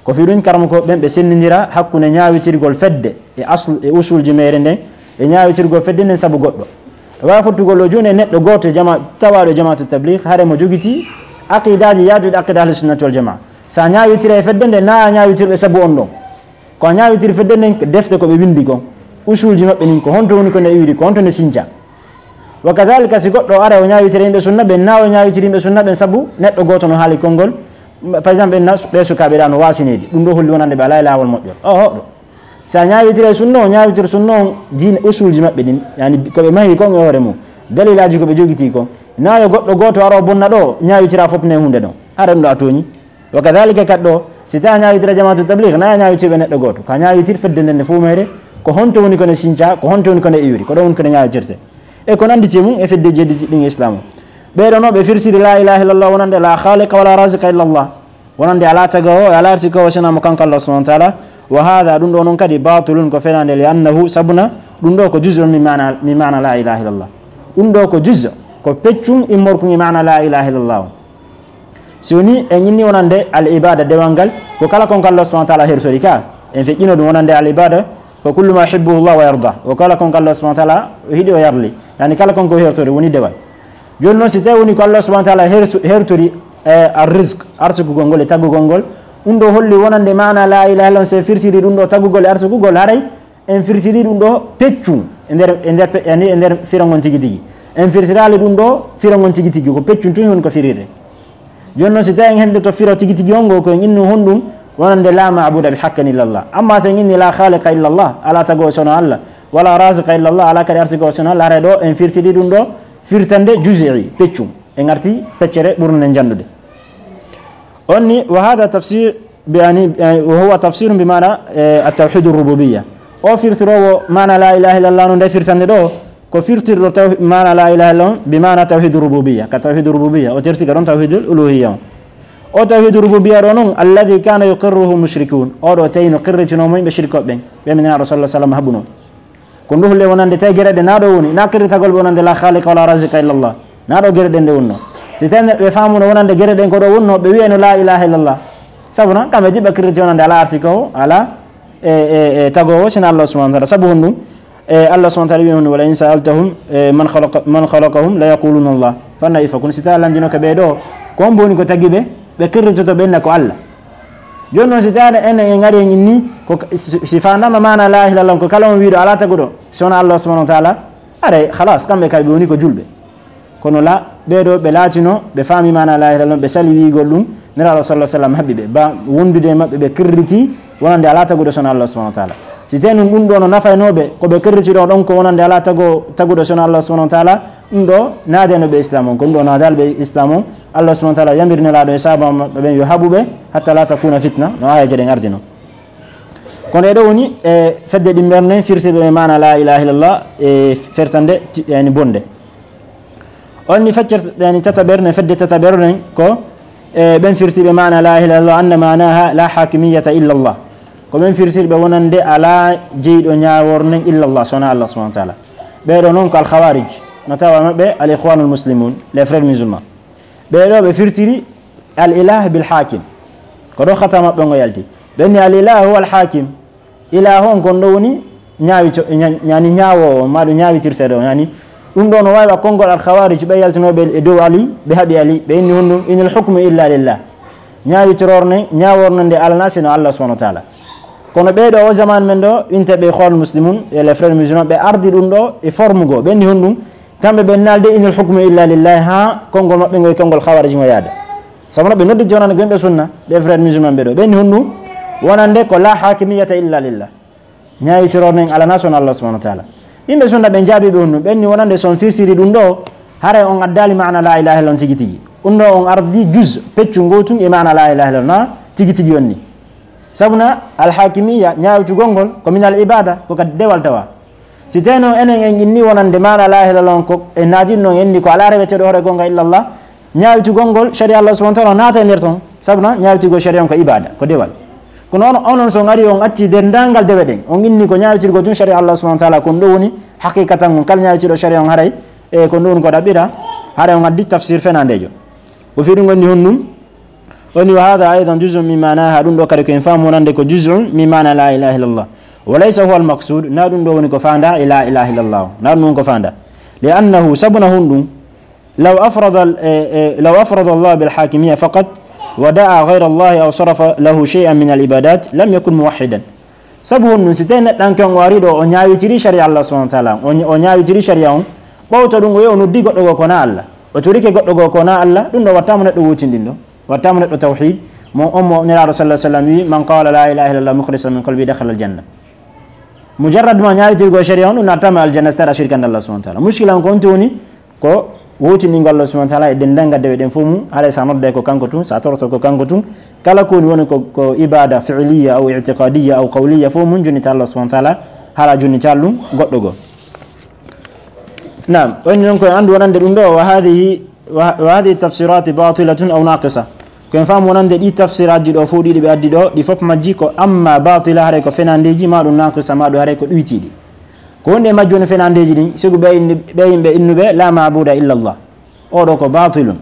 Ko fii ɗum karamokooɓe ɓen ɓe senndindira hakkunde ñaawitirgol fedde e asl, e usulji meere nden, e ñaawitirgol fedde nden sabu goɗɗo. E waawi fottugol ɗo jooni e neɗɗo gooto e jama-, tawaaɗo e jamaatu tabligh, hare mo jogitii aqidaaji yaajuɗi aqida ahli sunnati wal jamaa. So a ñaawitira e fedde nden, na a ñaawitirɓe sabu on ɗon. Ko a ñaawitiri fedde nden, defte ko ɓe winndi kon, usulji maɓɓe nin, ko honto woni ko nde iwiri, ko honto nde sinca. Wa kadhalika, si goɗɗo ara o ñaawitira yimɓe sunna ɓen, na o ñaawitiri yimɓe sunna ɓen sabu neɗɗo gooto no haali konngol, par exemple, ɓen na, ɓe sukaaɓe ɗa no waasineede, ɗum ɗo holli wonande ɓe alaa e laawol moƴƴol. O hoɗo. Si a ñaawitira e sunna, o ñaawitir sunna on diine usulji maɓɓe ɗin, yani ko ɓe mahi kon e hoore mum, dalilaaji ko ɓe jogitii kon. Na yo goɗɗo gooto ara o bonna ɗo, ñaawitira fof ne hunde ɗon. Hara ɗum ɗo a tooñi. Wa kadhalika kadi ɗo, si tawi a ñaawitira jamaatu tabligh, na a ñaawitirɓe neɗɗo gooto. Ka ñaawitir fedde nden nde fof meere, ko honto woni ko ne sinca, ko honto woni ko ne iwiri, ko ɗo woni ko ne ñaawitirte. E ko nanndi ci mum e fedde jedditi ɗin e Islam o. Ɓee ɗo no ɓe firtiri laa ilaaha illallah wonande laa khaaliqa wala raziqa illallah. Wonande alaa tagawo, alaa arsikowo sina mo kanko Allah subhanahu wa taala. Wa hadha, ɗum ɗo noon kadi, batilun, ko fenaande, li annahu, sabuna, ɗum ɗo ko juz'un min maana, min maana laa ilaaha illallah. Ɗum ɗo ko juz', ko peccum immorkun e maana laa ilaaha illallah o. Si woni en inni wonande al ibada, dewal ngal, ko kala kon ko Allah subhanahu wa taala hertori ka, en feƴƴino ɗum wonande al ibada, ko kullu ma yuhibbuhu Allah wa yarda, ko kala kon ko Allah subhanahu wa taala o hiɗi o yarli, yani kala kon ko hertori woni dewal. Jooni noon si tawi woni ko Allah subhanahu wa taala hersu-, hertori, e, ar rizq, arsugugol ngol e taggugol ngol, ɗum ɗo holli wonande maana laa ilaaha illallah, si en firtiri ɗum ɗo taggugol e arsugugol, haray en firtiri ɗum ɗo peccum e nder, e nder pe-, yani e nder firo ngon tigi tigi. En firtiraali ɗum ɗo firo ngon tigi tigi, ko peccum tun woni ko firire. Jooni noon si tawi en heddoto firo tigi tigi on ngo, ko en innu honɗum wonande laa maabuda bi haqqin illallah. Amma si en inni laa khaaliqa illallah, alaa tagowo sono Allah, wala raziqa illallah, alaa kadi arsigowo sono Allah, haray ɗo en firtiri ɗum ɗo firtande juz'i, peccum. En arti feccere ɓurnde nden janndude. On ni, wa hadha tafsir bi ani, eh, wa huwa tafsirun bi maana, eh, at-tawhidur rububiyya. O firtiroowo maana laa ilaaha illallah no nde firtande ɗo, ko firtirɗo taw-, maana laa ilaaha illallah bi maana tawhidur rububiyya, ka tawhidur rububiyya, o terti ka ɗon tawhidul uluhiyya on. O tawhidur rububiyya ɗo non, alladhi kana yuqirruhu mushrikun. O ɗo tawi no qirritinoo mo yimɓe shirkooɓe ɓen, ɓe mi Nulaaɗo sallallahu alaihi wasallam haɓunoo. Ko nduhule wonande tawi gere ɗe na ɗo woni, na qirritagol ɓe wonande laa khaaliqa wala raziqa illallah. Na ɗo gere ɗen ɗe wonnoo. Si tawi neɗɗo ɓe faamuno wonande gere ɗen ko ɗo wonnoo, ɓe wiyayno laa ilaaha illallah. Sabu na, kamɓe jiɓɓa qirriti wonande alaa arsikowo, alaa e, e, e tagowo, sina Allah subhanahu wa taala. Sabu honɗum? E, Allah subhanahu wa taala wi'i honɗum, "Wa la in sa'altahum, e, man khalaqa, man khalaqahum la yaquluna Allah." Fanna ifa kun, si tawi a lanndinoke ɓe ɗo, ko hombo woni ko tagi ɓe? Ɓe qirritoto ɓe inna ko Allah. Jooni noon, si tawi enen en ngari en inni, ko ka-, si, si faandama maana laa ilaaha illallah, ko kala on wiiɗo alaa taguɗo, si wonaa Allah subhanahu wa taala, aray, khalas, kamɓe kadi ɓe woni ko julɓe. Kono la, ɓee ɗo ɓe laatino, ɓe faami maana laa ilaaha illallah, ɓe sali wiigol ɗum, Nelaaɗo sallallahu alaihi wasallam haɓɓi ɓe, ba wondude e maɓɓe, ɓe qirriti wonande alaa taguɗo sono Allah subhanahu wa taala. Si tawi nun ɗum ɗo no nafaynoo ɓe, ko ɓe qirriti ɗo ɗon ko wonande alaa tago-, taguɗo sono Allah subhanahu wa taala, ɗum ɗo naadayno ɓe Islam on, ko ɗum ɗo naadaali ɓe Islam on. Allah subhanahu wa taala yamiri Nelaaɗo e sahaaba maɓɓe ɓen yo haɓu ɓe, hatta la takuna fitna, no aayeeje ɗen ardino. Kono e ɗo woni e fedde ɗimmere nden firtirɓe maana la ilaha illallah e fertande ti-, yani bonde. On ni feccere yani tataɓere nden, fedde tataɓere nden ko e ɓen firtirɓe maana la ilaha illallah anna maanaha la hakimiyata illallah. Ko ɓen firtirɓe wonande ala jeyɗo ñaawor nden illallah, so wona Allah subhanahu wa ta'ala. Ɓeɗo non ko al khawarij, no tawa maɓɓe al ikhwanul muslimun, les frères musulmans. Ɓeɗo ɓe firtiri al ilah bil hakim. Ko ɗo khata maɓɓe ngo yalti. Ɓen ni al ilah huwa al hakim. Ilah on kon ɗo woni ñaawito-, ña-, ñaani ñaawoowo, ma ɗum ñaawitirteeɗo, ñaani. Ɗum ɗo no waawi wa konngol al khawarij, ɓe yaltinooɓe e dow Ali, ɓe haɓi Ali, ɓe inni honɗum, inil hukmu illa lillah. Ñaawitoroor ne, ñaawoor ne nde alana sino Allah subhanahu wa ta'ala. Kono ɓee ɗo o zaman men ɗo, winte ɓe ikhwanul muslimun, e les frères musulmans, ɓe ardi ɗum ɗo e forme goo. Ɓe inni honɗum, kamɓe ɓe naalde inil hukmu illa lillah, haa konngol maɓɓe ngol e konngol khawarij ngo yaada. Sabu no ɓe noddi jonande gonɓe sunna, ɓe frères musulmans ɓe ɗo. Ɓe inni honɗum, wonande ko la hakimiyata illa lillah. Ñaawitoroor nen alana son Allah subhanahu wa ta'ala. Yimɓe sunna ɓen jaabi ɓe honɗum, ɓen ni wonande son firtiri ɗum ɗo, haray on addaali maana la ilaha illallah on tigi tigi. Ɗum ɗo on ardi juz, peccu ngotun e maana la ilaha illallah na tigi tigi on ni. Sabu na al hakimiyya, ñaawitugol ngol, ko min al ibada, ko ka dewal tawa. Si teno enen en inni wonande maana la ilaha illallah on ko e naajin non en ni ko ala reweteeɗo hoore gonga illallah, ñaawitugol ngol sharia Allah subhanahu wa ta'ala naata e nder ton. Sabu na ñaawitugol sharia on ko ibada, ko dewal. Kono on, onon so on ari on acci denndaangal dewe ɗen, on inni ko ñaawitirgol tun sharia Allah subhanahu wa ta'ala, kon ɗo woni haqiqatan on kala ñaawitiiɗo sharia on haray, e kon ɗo woni ko ɗaɓɓira, haray on addi tafsir fenandeejo. Ko fii ɗum woni honɗum? Woni wa hadha aidan juz'un min ma'naha, ɗum ɗo kadi ko en faamu wonande ko juz'un min ma'na la ilaha illallah. Wa laysa huwa al-maqsud, na ɗum ɗo woni ko faanda e la ilaha illallah. Na ɗum woni ko faanda. Li annahu, sabu na honɗum, law afrada al-, eh, eh, law afrada Allah bil hakimiyya faqat wa da'a ghayra Allah aw sarafa lahu shay'an min al ibadat lam yakun muwahhidan. Sabu honɗum, si tawi neɗɗanke on o ari ɗo, o ñaawitiri sharia Allah subhanahu wa ta'ala, o, o ñaawitiri sharia on, ɓawto ɗum o yehi o noddi goɗɗo goo ko na Allah, o torike goɗɗo goo ko na Allah, ɗum ɗo wattaama neɗɗo wootinɗinɗo, wattaama neɗɗo tawhid, mo on mo Nelaaɗo sallallahu alaihi wasallam wi, "Man qala la ilaha illallah mukhlisan min qalbi dakhala al janna." Mujarrad ma ñaawitirgol sharia on, ɗum nattaama aljanna, si tawi a shirkande Allah subhanahu wa ta'ala. Mushkila on ko honto woni, ko wowtindingol Allah subhanahu wa ta'ala e denndaangal dewe ɗen fof mum, haray sa nodde ko kanko tun, sa toroto ko kanko tun, kala ko woni, woni ko, ko ibada fi'liya aw i'tiqadiya aw qawliya fof mum, jonnita Allah subhanahu wa ta'ala, hara jonnita ɗum goɗɗo goo. Naam, on non ko anndu wonande ɗum ɗo, wa hadhihi, wa, wa hadhihi tafsirati batilatun aw naqisa. Ko en faamu wonande ɗi tafsiraaji ɗo fof ɗiɗi ɓe addi ɗo, ɗi fof majji ko amma batila, haray ko fenandeeji, ma ɗum naqisa, ma ɗum haray ko ɗuytiiɗi. Ko woni e majji woni fenandeeji ɗin, sibu ɓe indi-, ɓe yimɓe innuɓe la maabuda illa Allah. Oɗo ko batilun.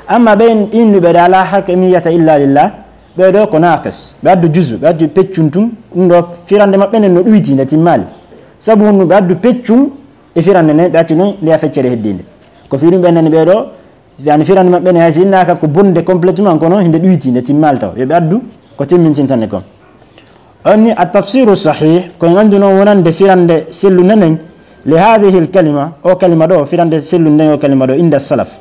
Amma ɓe in-, innuɓe ɗa la hakimiyata illa lillah, ɓe ɗo ko naqis. Ɓe addu juzu, ɓe addu peccun tun, ɗum ɗo firande maɓɓe nden no ɗuyti, nde timmaali. Sabu honɗum ɓe addu peccun e firande nden, ɓe acci non nde a feccere heddiinde. Ko fii ɗum ɓe nani ɓe ɗo, yani firande maɓɓe ne hay si innaaka ko bonde complètement, kono hinde ɗuyti, nde timmaali taw. Yo ɓe addu ko timmintintande kon. On ni at-tafsiru sahih, ko en anndu non wonande firande sellunde nden, li hadhihi al-kalima, o kalima ɗo, firande sellunde nden o kalima ɗo, inda salaf.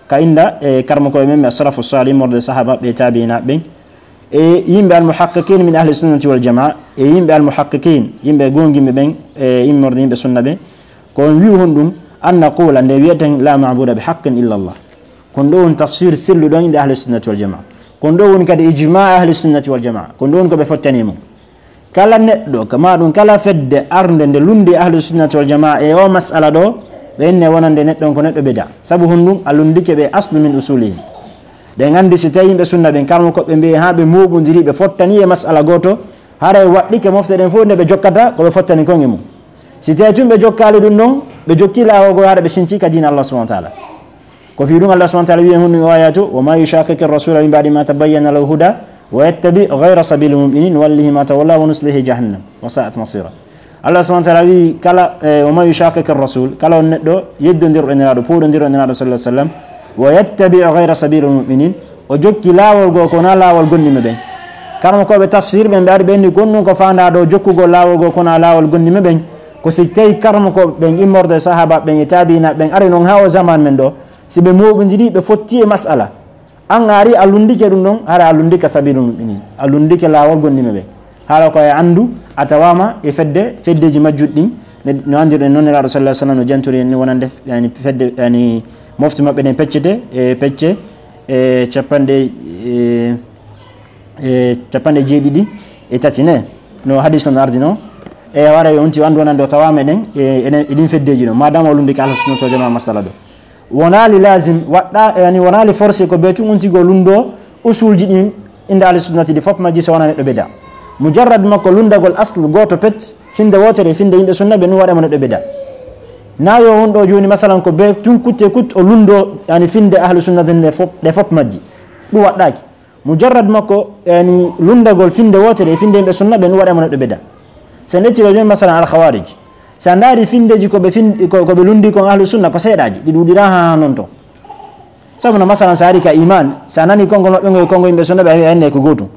Ka inda, e, karmokooɓe men, as-salafu salih, immorde sahaba ɓe, tabiina ɓen. E yimɓe al-muhaqqiqin min ahli sunnati wal jamaa, e yimɓe al-muhaqqiqin, yimɓe goongimɓe ɓen, e immorde yimɓe sunna ɓen. Ko on wi'u honɗum, an naqula, nde wi'eten la maabuda bi haqqin illa Allah. Kon ɗo woni tafsir selluɗo on inda ahli sunnati wal jamaa. Kon ɗo woni kadi ijma ahli sunnati wal jamaa. Kon ɗo woni ko ɓe fottani mum. Kala neɗɗo, kama ɗum kala fedde arnde nde lundi ahli sunnati wal jamaa e o mas'ala ɗo, ɓe inne wonande neɗɗo on ko neɗɗo bida. Sabu honɗum a lundike ɓe aslu min usulihim. Ɗen anndi si tawi yimɓe sunna ɓen karmo koɓe mbi'i haa ɓe mooɓondiri ɓe fottani e mas'ala gooto, haray waɗɗike mofte ɗen fof nde ɓe jokkata ko ɓe fottani kon e mum. Si tawi tun ɓe jokkaali ɗum ɗon, ɓe jokki laawol goo haɗa ɓe sinci ka diina Allah subhanahu wa ta'ala. Ko fii ɗum Allah subhanahu wa ta'ala wi'i e honɗum o ayatu, "Wa ma yushaqiqi rasula min ba'di ma tabayyana lahu huda, wa yattabi ghayra sabili mu'minin, nuwallihi ma tawalla wa nuslihi jahannam, wa sa'at masira." Allah subhanahu wa ta'ala wi'i kala, eh, "Wa ma yushaqiqi rasul," kala on neɗɗo yeddondirɗo e Nelaaɗo, pooɗondirɗo e Nelaaɗo sallallahu alaihi wasallam, "wa yattabi ghayra sabili mu'minin," o jokki laawol goo ko na laawol gomɗinɓe ɓen. Karmo ko ɓe tafsir ɓen ɓe ari ɓe inni gonɗum ko faandaa ɗo jokkugol laawol goo ko na laawol gomɗinɓe ɓen. Ko si tawi karmo ko ɓen immorde sahaba ɓen e tabiina ɓen ari non haa o zaman men ɗo, si ɓe mooɓondiri ɓe fotti e mas'ala. An a ari a lundike ɗum ɗon, hara a lundike sabilul mu'minin. A lundike laawol gomɗinɓe ɓen. Haala ko e anndu a tawaama e fedde, feddeeji majjuɗi ɗin, ne, no anndirɗen non Nelaaɗo sallallahu alaihi wasallam no jantiri en ni wonande, yani, fedde, yani, mofte maɓɓe ɗen peccete, e pecce, e capanɗe, e, e capanɗe jeeɗiɗi e tati ne. No hadis on ardi no. E wara yo onti wandu wonande o tawa meɗen e, e, e ɗin feddeji no. Madama o lundi ka ahlu sunnati wal jamaa masala ɗo. Wonaali lazim, waɗɗa, yani wonaali forcé ko be tun onti go lundo usulji ɗin inda ahlu sunnati ɗi fop majji so wona neɗɗo bida. Mujarrad makko lundagol asl goto pet, finde wotere, finde yimɓe sunna ɓe ɗum waɗama neɗɗo bida. Na yo won ɗo joni masalan ko be tun kutte kut o lundo yani finde ahlu sunnati ɗe fop, ɗe fop majji. Ɗum waɗɗaki. Mujarrad makko, yani, lundagol finde wotere e finde yimɓe sunna ɓen waɗama neɗɗo bida. So en ƴetti ɗo joni, masalan, al khawarij. Sa ndaari findeji ko ɓe fin-, ko, ko ɓe lundi kon ahlu sunna ko seeɗaji, ɗi ɗuɗira ha non to. Sabu no, masalan, sa ari ka iman, sa nani konngol maɓɓe ngol e konngol yimɓe sunna ɓe a wiya enne ko gootum.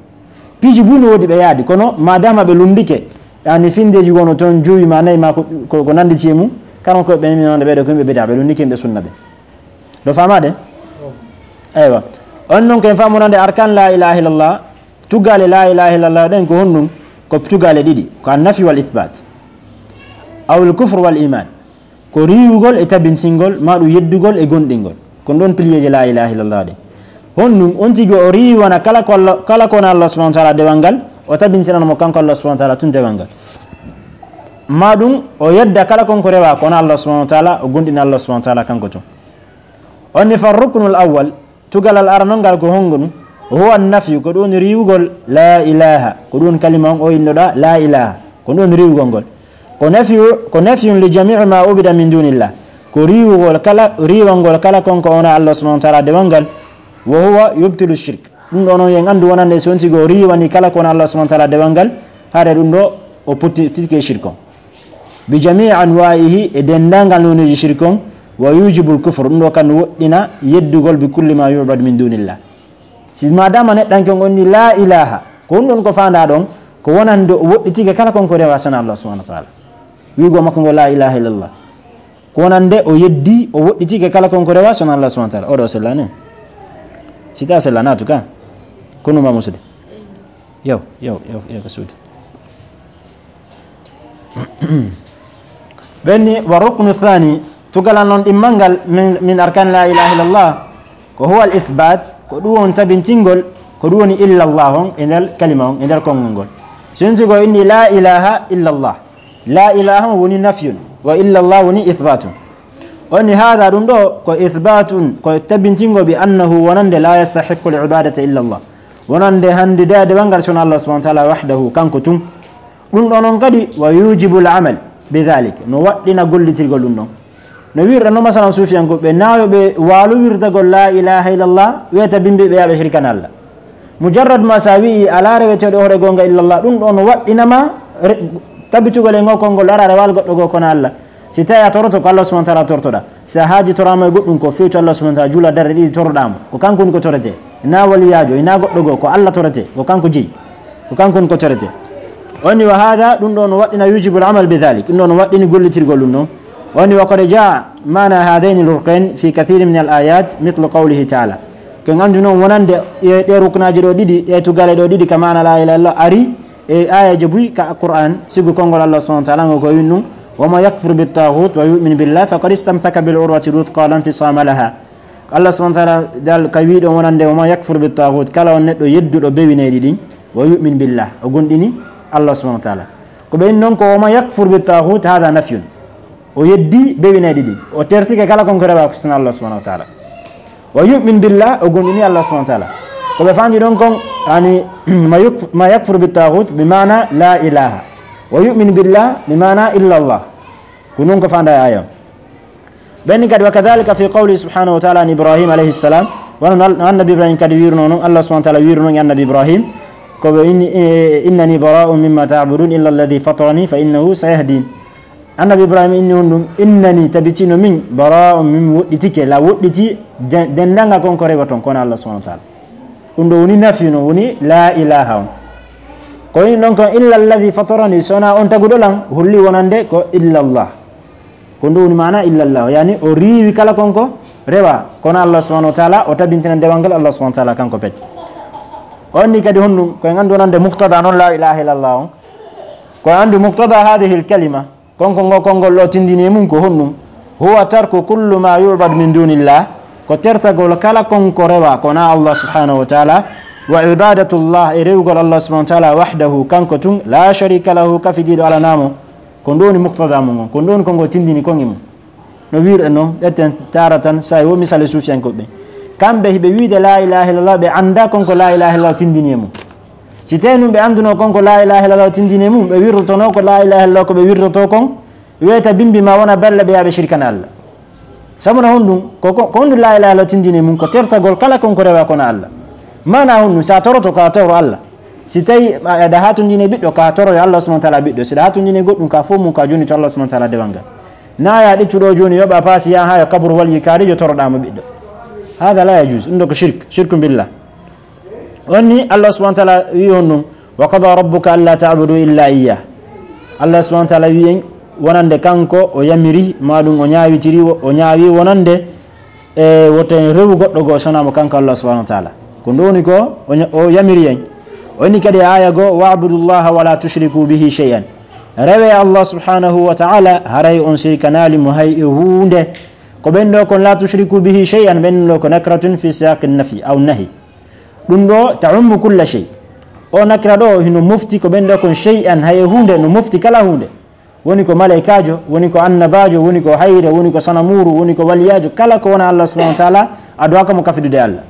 Piiji buy no woodi ɓe yaadi, kono madama ɓe lundike, yani findeji wono ton jowi ma nayi ma ko, ko, ko nandi ci e mum, kanon ko ɓe mi wonde ɓeɗo ko yimɓe bida, ɓe lundike yimɓe sunna ɓe. Ɗo famaade? Eywa. On non ko en famonande arkan la ilaha illallah, tugale la ilaha illallah ɗen ko honɗum? Ko tugale ɗiɗi, ko annafi wal ithbat. Aw al kufr wal iman. Ko riiwugol e tabintingol, ma ɗum yeddugol e gonɗingol. Ko ɗon piliyeeji la ilaha illallah ɗen. Honɗum? On tigi o riiwana kala ko Allah, kala ko wona Allah subhanahu wa ta'ala dewal ngal, o tabintinana mo kanko Allah subhanahu wa ta'ala tun dewal ngal. Ma ɗum o yedda kala kon ko rewa ko wona Allah subhanahu wa ta'ala, o gonɗina Allah subhanahu wa ta'ala kanko tun. On ni fa ruknul awwal, tugalal aranol ngal ko hongo ɗum? Huwa nafyu, ko ɗum woni riiwugol la ilaha, ko ɗum woni kalima on o innoɗa la ilaha, ko ɗum woni riiwugol ngol. Ko nafyu, ko nafyun li jami'i ma ubida min dunillah, ko riiwugol kala, riiwangol kala kon ko wona Allah subhanahu wa ta'ala dewal ngal. Wa huwa yubtilu shirk, ɗum ɗo noon yen anndu wonande so on tigi o riiwani kala ko wona Allah subhanahu wa ta'ala dewal ngal, haade ɗum ɗo o potti tigi e shirk on. Bi jami'i anwa'ihi, e denndaangal nooneeji shirk on, wa yujibul kufr, ɗum ɗo kan woɗɗina yeddugol bi kulli ma yu'bad min dunillah. Si madama neɗɗanke on onni la ilaha, ko ɗum ɗon ko faanda ɗon, ko wonande o woɗɗitike kala kon ko rewa sana Allah subhanahu wa ta'ala. Wiigo makko ngo la ilaha illallah. Ko wonande o yeddi, o woɗɗitike kala kon ko rewa sana Allah subhanahu wa ta'ala. Oɗo sellani. Si ta sellani, en tout cas. Kono ma musude. Yow, yow, yow, yow, ko suudu. Ɓenni, wa ruknu thani, tugalal non ɗimmal ngal min, min arkan la ilaha illallah, ko huwa al ithbat, ko ɗum woni tabintingol, ko ɗum woni illallah on e nder kalima on, e nder konngol ngol. So yonti ko inni la ilaha illallah, la ilaha on woni nafyun, wa illallah woni ithbatun. Woni hada ɗum ɗo ko ithbatun, ko tabintingo bi annahu wonande la yastahiqqu al ibadata illa Allah. Wonande hande dewal ngal sona Allah subhanahu wa ta'ala wahdahu, kanko tun. Ɗum ɗo noon kadi wa yujibul amal bi dhalik, no waɗɗina gollitirgol ɗum ɗon. No wirɗa no masalan suufiyankoɓe, na yo ɓe waalo wirdagol la ilaha illallah, weta bimbi ɓe yaɓe shirkana Allah. Mujarrad ma sa wi'i ala reweteeɗo hoore goonga illallah, ɗum ɗo no waɗɗinama re-, tabitugol e ngol konngol, ara rewal goɗɗo goo kono Allah. Si tawi a toroto ko Allah subhanahu wa ta'ala tortoɗa. Si a haaji torama e goɗɗum ko fewti Allah subhanahu wa ta'ala, juula darɗe ɗiɗi toroɗamo. Ko kanko woni ko torete. Na waliyaajo, ina goɗɗo goo, ko Allah torete, ko kanko jeyi. Ko kanko woni ko torete. Woni wa hada, ɗum ɗo no waɗɗina yujibul amal bi dhalik. Ɗum ɗo no waɗɗini gollitirgol ɗum ɗon. Woni wa qad jaa mana hadaini al ruknain fi kathirin min al ayat, mithlu qawlihi ta'ala. Ko en andu noon wonande e ɗe ruknaaji ɗo ɗiɗi, ɗe tugale ɗo ɗiɗi ka maana la ilaha illallah ari e ayaji buy ka Qur'an, sibu konngol Allah subhanahu wa ta'ala ngo ko win ɗum, wa man yakfur bit taghut wa yu'min billah faqad istamsaka bil urwati al wuthqa la infisama laha. Allah subhanahu wa ta'ala dal ka wi ɗon wonande, wa man yakfur bit taghut, kala on neɗɗo yedduɗo bewineyɗi ɗin, wa yu'min billah, o gonɗini Allah subhanahu wa ta'ala. Ko ɓe in noon ko wa man yakfur bit taghut, hada nafyun. O yeddi bewineyɗi ɗin. O tertike kala kon ko rewa ko sina Allah subhanahu wa ta'ala. Wa yu'min billah, o gonɗini Allah subhanahu wa ta'ala. Ko ɓe fandi ɗon kon, yani, ma yuk-, ma yakfur bit taghut, bi maana la ilaha. Wa yu'min billah, bi maana illa Allah. Ko non ko fanda e aya on. Ɓen kadi, wa kadhalika fi qawli subhanahu wa ta'ala an Ibrahim alayhi salam, wano no Annabi Ibrahim kadi wiruno non, Allah subhanahu wa ta'ala wiruno e Annabi Ibrahim, ko ɓe inni, eh, innani bara'un mimma ta'budun illa alladhi fatarani fa innahu sayahdin. Annabi Ibrahim inni honɗum? Innani, tabitino min, bara'un, min woɗɗitike, la woɗɗiti, de-, dendanga kon ko rewaton, kono Allah subhanahu wa ta'ala. Ɗum ɗo woni nafi, no woni la ilaha on. Ko woni ɗon kon illa alladhi fatarani, sona on taguɗo lan, holli wonande ko illa Allah. Ko ɗum woni maana illa Allah, yani o riiwi kala kon ko rewa, kono Allah subhanahu wa ta'ala, o tabintina dewal ngal Allah subhanahu wa ta'ala kanko pet. On ni kadi honɗum, ko en andu wonande muqtada non la ilaha illa Allah on. Ko en andu muqtada hadhihi al kalima, kon ko ngo konngol ɗo tindini e mum ko honɗum? Huwa tarku kullu ma yu'bad min dunillah, ko tertagol kala kon ko rewa, kono Allah subhanahu wa ta'ala, Wa ibadatullah, e rewugol Allah subhanahu wa taala wahdahu, kanko tun, la sharika lahu, kafidiiɗo alanaa mo. Ko ɗum woni muqtada mum on, ko ɗum woni ko ngo tindini kon e mum. No wiirɗen noon, ƴetten taaratan, so a wo misale suufiyankoɓe ɓe. Kamɓe hiɓe wiide la ilaha illallah, ɓe annda kon ko la ilaha illallah tindini e mum. Si tawi nun ɓe anduno kon ko la ilaha illallah tindini e mum, ɓe wirrotono ko la ilaha illallah ko ɓe wirroto kon, weeta bimbi ma wona balla ɓe yaɓe shirkana Allah. Sabu na honɗum? Ko, ko, ko honɗum la ilaha illallah tindini e mum? Ko tertagol kala kon ko rewa kono Allah. Mana honɗum? Sa toroto ka toro Allah. Si tawi a, aɗa hatondini e ɓiɗɗo, ka toro yo Allah subhanahu wa taala ɓiɗɗo. Si aɗa hatondini e goɗɗum, ka fof mum ka joni to Allah subhanahu wa taala dewal ngal. Na ya ɗittuɗo joni yoɓa paasi ya ha yo kaburu walyi kaari yo toroɗa mo ɓiɗɗo. Hada la yajuz. Ɗum ɗo ko shirk, shirku billah. On ni Allah subhanahu wa taala wi honɗum? Wa qada rabbuka alla ta'budu illa iyyah. Allah subhanahu wa taala wi en wonande kanko o yamiri, ma ɗum o ñaawitiri, o ñaawi wonande e woto en rewu goɗɗo goo sona mo kanko Allah subhanahu wa taala. Ko ɗum woni ko o ña-, o yamiri en. O inni kadi e aaya goo, "Wa'budu llaha wa la tushriku bihi shay'an." Rewe Allah subhanahu wa taala, haray on sirkanaali mo hay e huunde. Ko ɓen ɗo kon la tushriku bihi shay'an, ɓen ɗo ko nakratun fi siyaqi nafi aw nahi. Ɗum ɗo ta'ummu kulla shay. O nakira ɗo hino mofti ko ɓen ɗo kon shay'an, hay e huunde, no mofti kala huunde. Woni ko malaykaajo, woni ko annabaajo, woni ko hayre, woni ko sanamuuru, woni ko waliyaajo, kala ko wona Allah subhanahu wa taala, a duwaaka mo kafidude Allah.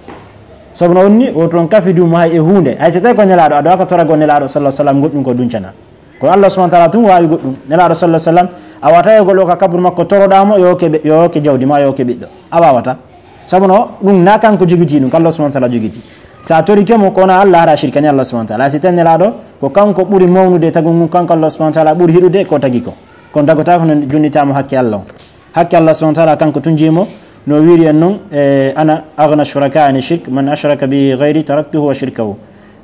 Sabu no onni, woto on kafidu mo hay e huunde. Hay so tawi ko nelaaɗo, a duwaaka toragol nelaaɗo sallallahu alaihi wasallam goɗɗum ko duncana. Ko Allah subhanahu wa taala tun waawi goɗɗum. Nelaaɗo sallallahu alaihi wasallam, a wata e gol o ka kaburu makko toroɗa mo, yo hokke ɓe-, yo hokke jawdi ma, yo hokke ɓiɗɗo. A waawata. Sabu no, ɗum na kanko jogiti ɗum, ko Allah subhanahu wa taala jogiti. Sa torike mo, kono Allah hara shirkani Allah subhanahu wa taala. Si tawi nelaaɗo, ko kanko ɓuri mawnude e tagu ngun, kanko Allah subhanahu wa taala ɓuri hiɗude ko tagi ko. Kono dagotako no junnita mo hakke Allah on. Hakke Allah subhanahu wa taala kanko tun jimo, no wiiri en non, e, "Ana aghna shuraka ani shirk, man ashraka bi ghayri taraktuhu wa shirkahu."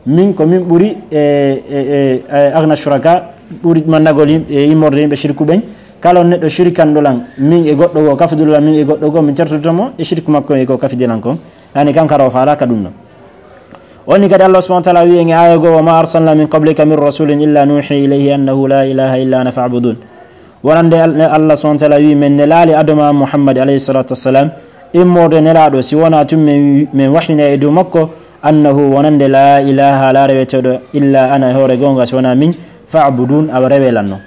Min ko min ɓuri, e, e, e, e, aghna shuraka, ɓuri mannagol yim-, e immorde yimɓe shirku ɓen. Kala on neɗɗo shirkanɗo lan, min e goɗɗo goo, kafidul lan min e goɗɗo goo, min tertoto mo e shirku makko e ko kafidi lan kon. Yani kanko hara o faalaka ɗum ɗon. Woni kadi Allah subhanahu wa taala wi'i en e aaya goo, "Wa ma arsalna min qablika min rasulin illa nuhi ilayhi annahu la ilaha illa ana fa'budun." Wonande Al-, Allah subhanahu wa taala wi'i, "Men nelaali adoma Muhammad alayhi salatu wassalam, immorde nelaaɗo, si wona tun men, men wahyina e dow makko, annahu wonande la ilaha, la reweteeɗo, illa ana e hoore goonga, si wona min, fa'budun, awa rewe lan non."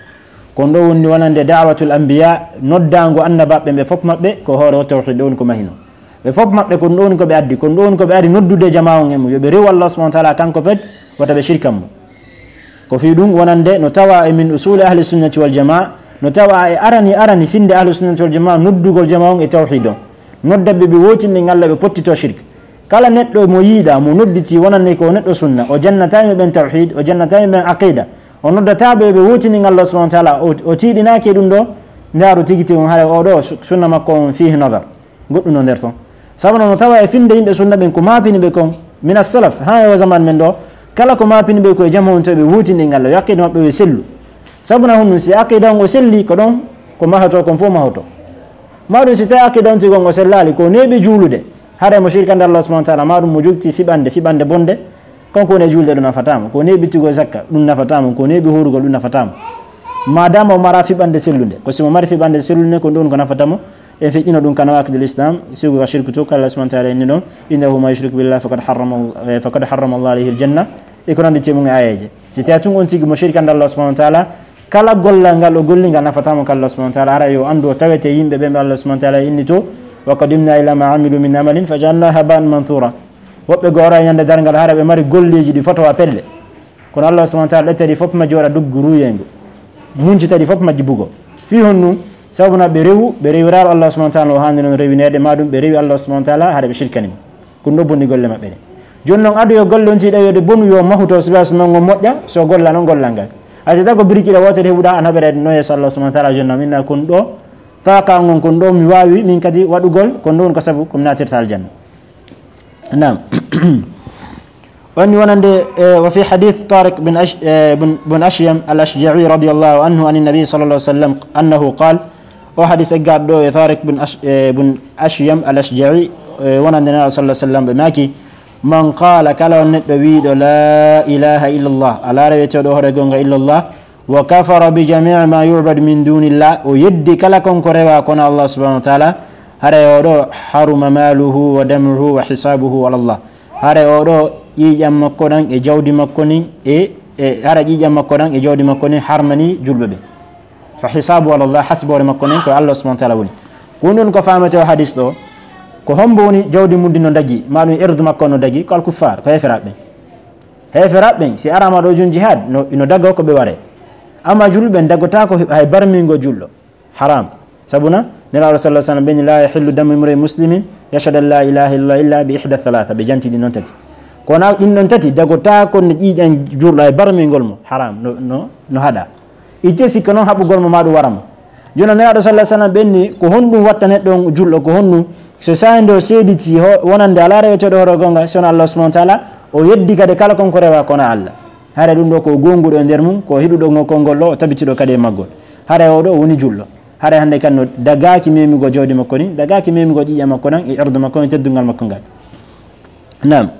Ko ɗum ɗo woni wonande da'watul anbiya, noddaango annabaaɓe ɓe fof maɓɓe ko hoore o tawhid ɗo woni ko mahino. Ɓe fof maɓɓe ko ɗum ɗo woni ko ɓe addi, ko ɗum ɗo woni ko ɓe ari noddude jamaa on e mum, yo ɓe rewu Allah subhanahu wa taala kanko pet, wata ɓe shirkan mo. Ko fii ɗum wonande no tawa e min usuli ahli sunnati wal jamaa, no tawa e arani arani finde ahli sunnati wal jamaa noddugol jamaa on e tawhid on. Nodda ɓe ɓe wootini Allah ɓe pottito shirk. Kala neɗɗo mo yiiɗa, mo nodditi wonande ko neɗɗo sunna, o jannata yimɓe ɓen tawhid, o jannata yimɓe ɓen aqida. O noddata ɓe ɓe wootini Allah subhanahu wa taala, o, o tiiɗinaaki e ɗum ɗo, ndaaru tigi tigi on hara o ɗo su-, sunna makko on fihi nadar. Goɗɗum no nder ton. Sabu no tawa e finde yimɓe sunna ɓen ko maapini ɓe kon, mina salaf, haa e o zaman men ɗo, kala ko maapini ɓe ko e jamaa on to ɓe wootini Allah, yo aqida maɓɓe yo sellu. Sabu na honɗum si aqida on o selli ko ɗon, ko mahoto kon fof mahoto. Maɗum si tawi aqida on tigi on o sellaali, ko neeɓi juulude, hara mo shirkande Allah subhanahu wa taala, maɗum mo jogti fiɓande, fiɓande bonde, kanko woni e juulde ɗum nafataa mo, ko neeɓi tigi zakka ɗum nafataa mo, ko neeɓi hoorugol ɗum nafataa mo. Madama o mara fiɓande sellunde, ko si mo mari fiɓande sellunde ko ɗum ko nafata mo, e feƴƴino ɗum ka nawaqidul islam, sigo ka shirku to, ka Allah subhanahu wa taala inni ɗon, "Innahu man yushrik billah faqad harrama, eh, faqad harrama Allah alayhi aljanna." E ko nandi tee mum e aayeeje. Si tawi tun on tigi mo shirkande Allah subhanahu wa taala, kala gollal ngal o golli ngal nafataa mo ka Allah subhanahu wa taala, hara yo anndu o tawete yimɓe ɓen ɓe Allah subhanahu wa taala inni to, "Wa qadimna ila ma amilu min amalin fa ja'alnahu haba'an manthura." Woɓɓe goo ara e ñande darngal hara ɓe mari golleeji ɗi fotowa pelle. Kono Allah subhanahu wa taala ƴettadi fof majji waɗa duggu ruuyengu. Muncitadi fof majji bugo. Fii honɗum? Sabu na ɓe rewu, ɓe rewiraaro Allah subhanahu wa taala o haandi non rewineede, maɗum ɓe rewi Allah subhanahu wa taala hara ɓe shirkani mo. Ko ɗum ɗo bonni golle maɓɓe ɗe. Jooni noon, ado yo golle on si ɗawi yo ɗe bonu, yo mahuto, siba so noon on moƴƴa, so golla noon gollal ngal. Hay so tawi ko biriki ɗe wootere heɓuɗa, an haɓere noon yeeso Allah subhanahu wa taala, jooni noon, min na kon ɗo, tawa ka on kon ɗo mi waawi, min kadi waɗugol, kon ɗo woni ko sabu ko mi naatirta aljanna. Naam. Woni wonande, eh, wa fi hadith Tariq bin Ash-, eh, bin, bin Ashyam al-Ashja'i radiyallahu anhu an an-Nabi sallallahu alaihi wasallam annahu qal, o hadis e gaɗɗo e Tariq bin Ash-, eh, bin Ashyam al-Ashja'i, eh, wonande Nabi sallallahu alaihi wasallam ɓe maaki, "Man qala," kala on neɗɗo wiiɗo, "La ilaha illallah," ala reweteeɗo hoore gonga illallah, "wa kafara bi jami'i ma yu'badu min dunillah," o yeddi kala kon ko rewa kono Allah subhanahu wa taala, haray o ɗo haruma maluhu wa damuhu wa hisabuhu ala Allah. Haray o ɗo ƴiiƴam makko ɗan e jawdi makko nin e, e hara ƴiiƴam makko ɗan e jawdi makko nin harmani julɓe ɓe. Fa hisabu ala Allah, hasboore makko nen ko Allah subhanahu wa ta'ala woni. Ko ɗun ko faamete o hadis ɗo, ko hombo woni jawdi mun ndi no dagi, ma ɗun irdu makko no dagi, ko al kuffar, ko heeferaaɓe ɓen. Heeferaaɓe ɓen, si arama ɗo jun jihad, no, no dago ko ɓe ware. Amma julɓe ɓen dagotako hay barmingo julɗo. Haram. Sabuna, Nelaaɗo sallallahu alaihi wasallam ɓe ni, "La yahillu damu imri'in muslimin yashhadu an la ilaha illallah illa bi ihda thalatha." Ɓe janti ɗin non tati. Kono ɗin non tati, dagotako no ƴiiƴan julɗo hay barmingol mo. Haram, no, no, no haɗa. Itte sikka non haɓugol mo ma ɗun wara mo. Jooni Nelaaɗo sallallahu alaihi wasallam ɓe ni, ko honɗun watta neɗɗo on julɗo, ko honɗun? So saa'i ndo seediti ho-, wonande alaa reweteeɗo hoore gonga, si wonaa Allah subhanahu wa ta'ala, o yeddi kadi kala kon ko rewa ko wonaa Allah. Hara ɗun ɗo ko gonguɗo e nder mun, ko hiɗuɗo ngo konngol ɗo, o tabitiɗo kadi e maggol. Hara o ɗo woni julɗo. Hara hande kan no dagaaki memugol jawdi makko ɗin, dagaaki memugol ƴiiƴam makko ɗan, e irdu makko, e teddungal makko ngal. Naam.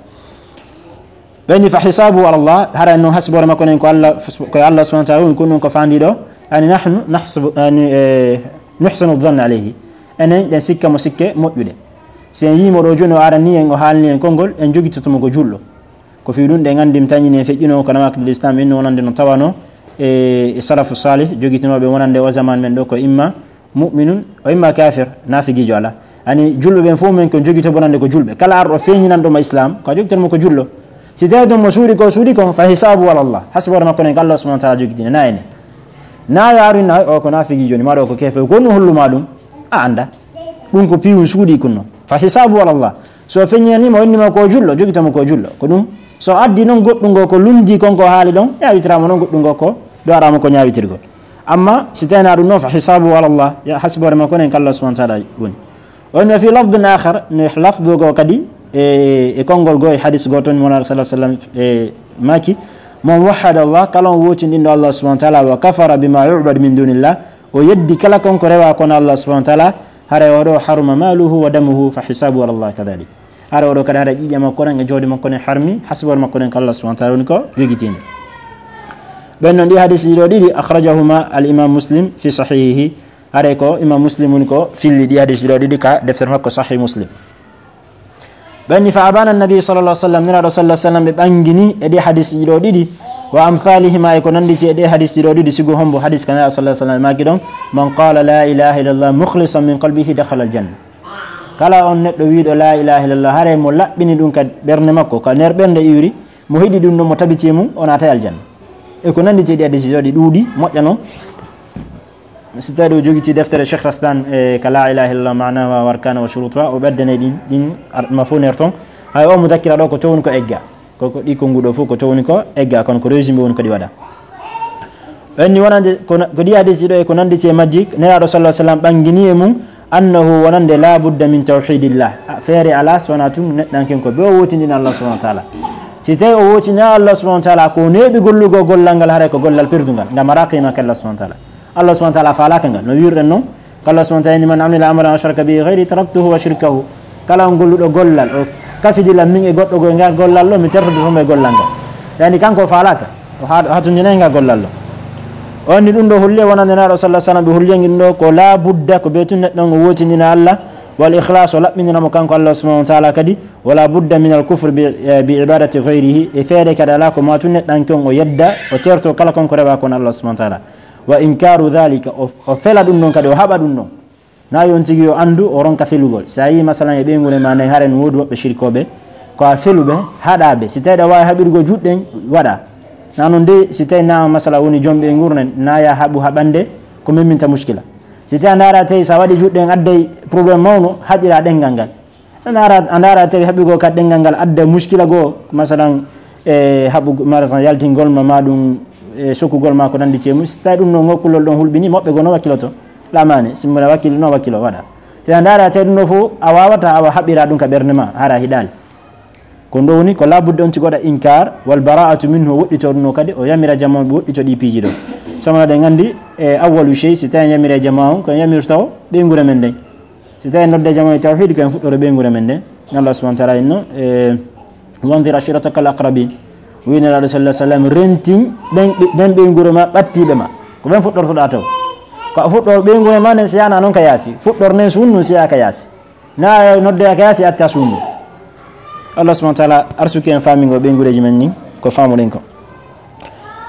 Ɓe ni fa hisabu ala Allah, hara no hasbore makko nen ko Allah, ko Allah subhanahu wa ta'ala woni, ko ɗun ko faandiɗo. Yani nahnu nahsabu, yani, eh, nuhsinu dhanna alayhi. Enen ɗen sikka mo sikke moƴƴuɗe. Si en yii mo ɗo jooni o arani en, o haalni en konngol, en jogitoto mo ko julɗo. Ko fii ɗun ɗen anndi mi tañini en feƴƴuno ko nawaqidul Islam, inno wonande no tawano e, e salafu salih, jogitinooɓe wonande o zaman men ɗo ko imma mu'minun, o imma kafir, naafigiijo alaa. Ani julɓe ɓen fof men ko jogito bonande ko julɓe. Kala arɗo feeñinanɗo ma Islam, ko a jogitan mo ko julɗo. Si tawi ɗon mo suuɗi ko suuɗi kon, fa hisabu ala Allah. Hasbore makko nen ko Allah subhanahu wa ta'ala jogitini, na ene. Na yaaru na o ko naafigiijo ni, ma ɗo ko kafir, ko no hollu ma ɗum? A annda. Ɗum ko piiwun suuɗi kunno. Fa hisabu ala Allah. So feññinaniima, o innima ko julɗo, jogitamo ko julɗo. Ko ɗum, so addi noon goɗɗungo ko lundi kon ko haali ɗon, ñaawitiraama noon goɗɗungo ko ɗoraama ko ñaawitirgol. Amma si tawii na ɗum noon, fa hisabu ala Allah, ya hasbore makko nen ko Allah subhanahu wa ta'ala woni. O inni fi lafdin akhar, ne lafdu go kadi, e, e konngol go e hadis go toon, mo Nulaaɗo sallallahu alaihi wasallam, e, maaki, "Man wahhada Allah, kala on wootindinɗo Allah subhanahu wa ta'ala, wa kafara bima yu'badu min dunillah, o yeddi kala kon ko rewa kono Allah subhanahu wa ta'ala, haray o ɗo haruma maluhu wa damuhu fa hisabu ala Allah kadhalik." Haray o ɗo kadi haray ƴiiƴam makko ɗan e jawdi makko ɗen harmi, hasbore makko ɗen ko Allah subhanahu wa ta'ala woni ko jogitiinde. Ɓen non ɗi hadis ɗiɗo ɗiɗi, akhrajahuma al imam Muslim fi sahihihi. Haray ko imam Muslim woni ko filli ɗi hadis ɗiɗo ɗiɗi ka deftere makko Sahih Muslim. Ɓen ni fa abana annabi sallallahu alaihi wasallam, Nulaaɗo sallallahu alaihi wasallam ɓe ɓangini e ɗe hadis ɗiɗo ɗiɗi, wa amthalihima e ko nanditi e ɗe hadis ɗiɗo ɗiɗi, sigo hombo hadis ka Nulaaɗo sallallahu alaihi wasallam maaki ɗon, "Man qala la ilaha illallah mukhlisan min qalbihi dakhala al janna." Kala on neɗɗo wiiɗo la ilaha illallah, haray mo laɓɓini ɗum ka ɓernde makko, ka nder ɓernde iwri, mo hiɗi ɗum ɗon, mo tabiti e mum, o naatay aljanna. E ko nanditi e ɗi hadis ɗiɗo ɗi ɗuuɗi, moƴƴa non. Si tawi ɗo jogiti deftere Cheikh Raslan, e, ka la ilaha illallah, ma'naha wa arkana wa shurutuha, o ɓeddane ɗin, ɗin ar-, ma fof nder ton. Hay o mudakkira ɗo ko towni ko egga. Ko, ko ɗi konnguɗo fof ko towni ko egga, kono ko résumé woni ko ɗi waɗa. Ɓen ni wonande, ko na-, ko ɗi hadis ɗiɗo e ko nanditi e majji, Nelaaɗo sallallahu alaihi wasallam ɓangini e mum, annahu wonande la budda min tawhidillah. A, feere alaa so wonaa tun neɗɗanken ko be o wootindina Allah subhanahu wa ta'ala. Si tawi o wootindina Allah subhanahu wa ta'ala, ko neeɓi gollugo gollal ngal, haray ko gollal perdungal, ngal maraa qiima ka Allah subhanahu wa ta'ala. Allah subhanahu wa ta'ala faalaaka ngal. No wiirɗen non, ko Allah subhanahu wa ta'ala inni, "Man amila amalan ashraka bihi ghayri taraktuhu wa shirkahu." Kala on golluɗo gollal, o kafidi lan min e goɗɗo goo e ngal gollal ɗo, mi tertoto mo e gollal ngal. Yani kanko o faalaaka, o ha-, o hatondinay ngal gollal ɗo. On ni ɗum ɗo holli wonande Nulaaɗo sallallahu alaihi wasallam ɓe holli en ɗum ɗo ko la budda ko be tun neɗɗo on o wootindina Allah, wal ikhlas o laɓɓindina mo kanko Allah subhanahu wa ta'ala kadi, wala budda min al kufri bi, eh, bi ibadati ghayrihi, e feere kadi alaa ko ma tun neɗɗanke on o yedda, o terto kala kon ko rewa kon Allah subhanahu wa ta'ala. Wa inkaru dhalika, o, o fela ɗum ɗon kadi, o haɓa ɗum ɗon. Na yo on tigi yo anndu, o ronka felugol. Si a yii, masalan, e ɓeynguure ma nden, haren woodi woɓɓe shirkooɓe, ko a feluɓe, haɗaaɓe. Si tawi ɗa waawi haɓirgo juuɗe ɗen, waɗa. Na non de, si tawi na, masalan, woni joom ɓeynguure nden, na ya haɓu haɓande ko memminta muskila. Si tawi a ndaara tawi sa waɗi juuɗe ɗen adday problème mawno, haɓira ɗenngal ngal. A ndaara, a ndaara tawi haɓugol ka ɗenngal ngal adda muskila goo, masalan, e haɓu-, masalan, yaltingol ma, ma ɗum, e sokugol ma ko nandi e mum. Si tawi ɗum no ngol kullol ɗon hulɓini, moɓɓe goo no wakkiloto. Lamane, si mona wakkilo, no wakkilo waɗa. Si a ndaara tawi ɗum ɗo fof, a waawata, awa haɓɓira ɗum ka ɓernde ma, hara hiɗaali. Ko ɗum ɗo woni, ko labudde on tigi waɗa inkar, wal bara'atu minhu, o woɗɗito ɗum ɗo kadi, o yamira jamaa on, ɓe woɗɗito ɗi piiji ɗo. Sabu no ɗen anndi, e awwalu shay, si tawi en yamira jamaa on, ko en yamirta o ɓeynguure men nden. Si tawi nodde jamaa e tawhid, ko en fuɗɗoro ɓeynguure men nden. Allah subhanahu wa ta'ala inno, e, "Wanzir ashirataka al aqrabin." Wi Nelaaɗo sallallahu alaihi wasallam, rentin ɓen, ɓen ɓeynguure ma, ɓattiiɓe ma. Ko ɓen fuɗɗortoɗaa taw. Ko a fuɗɗoro ɓeynguure ma nden, si yana non ka yaasi. Fuɗɗor nen suun nun, si yaa ka yaasi. Na nodde ka yaasi, atta suun. Allah subhanahu wa taala arsuki en faamingol ɓeynguureeji men ni ko faamuɗen ko.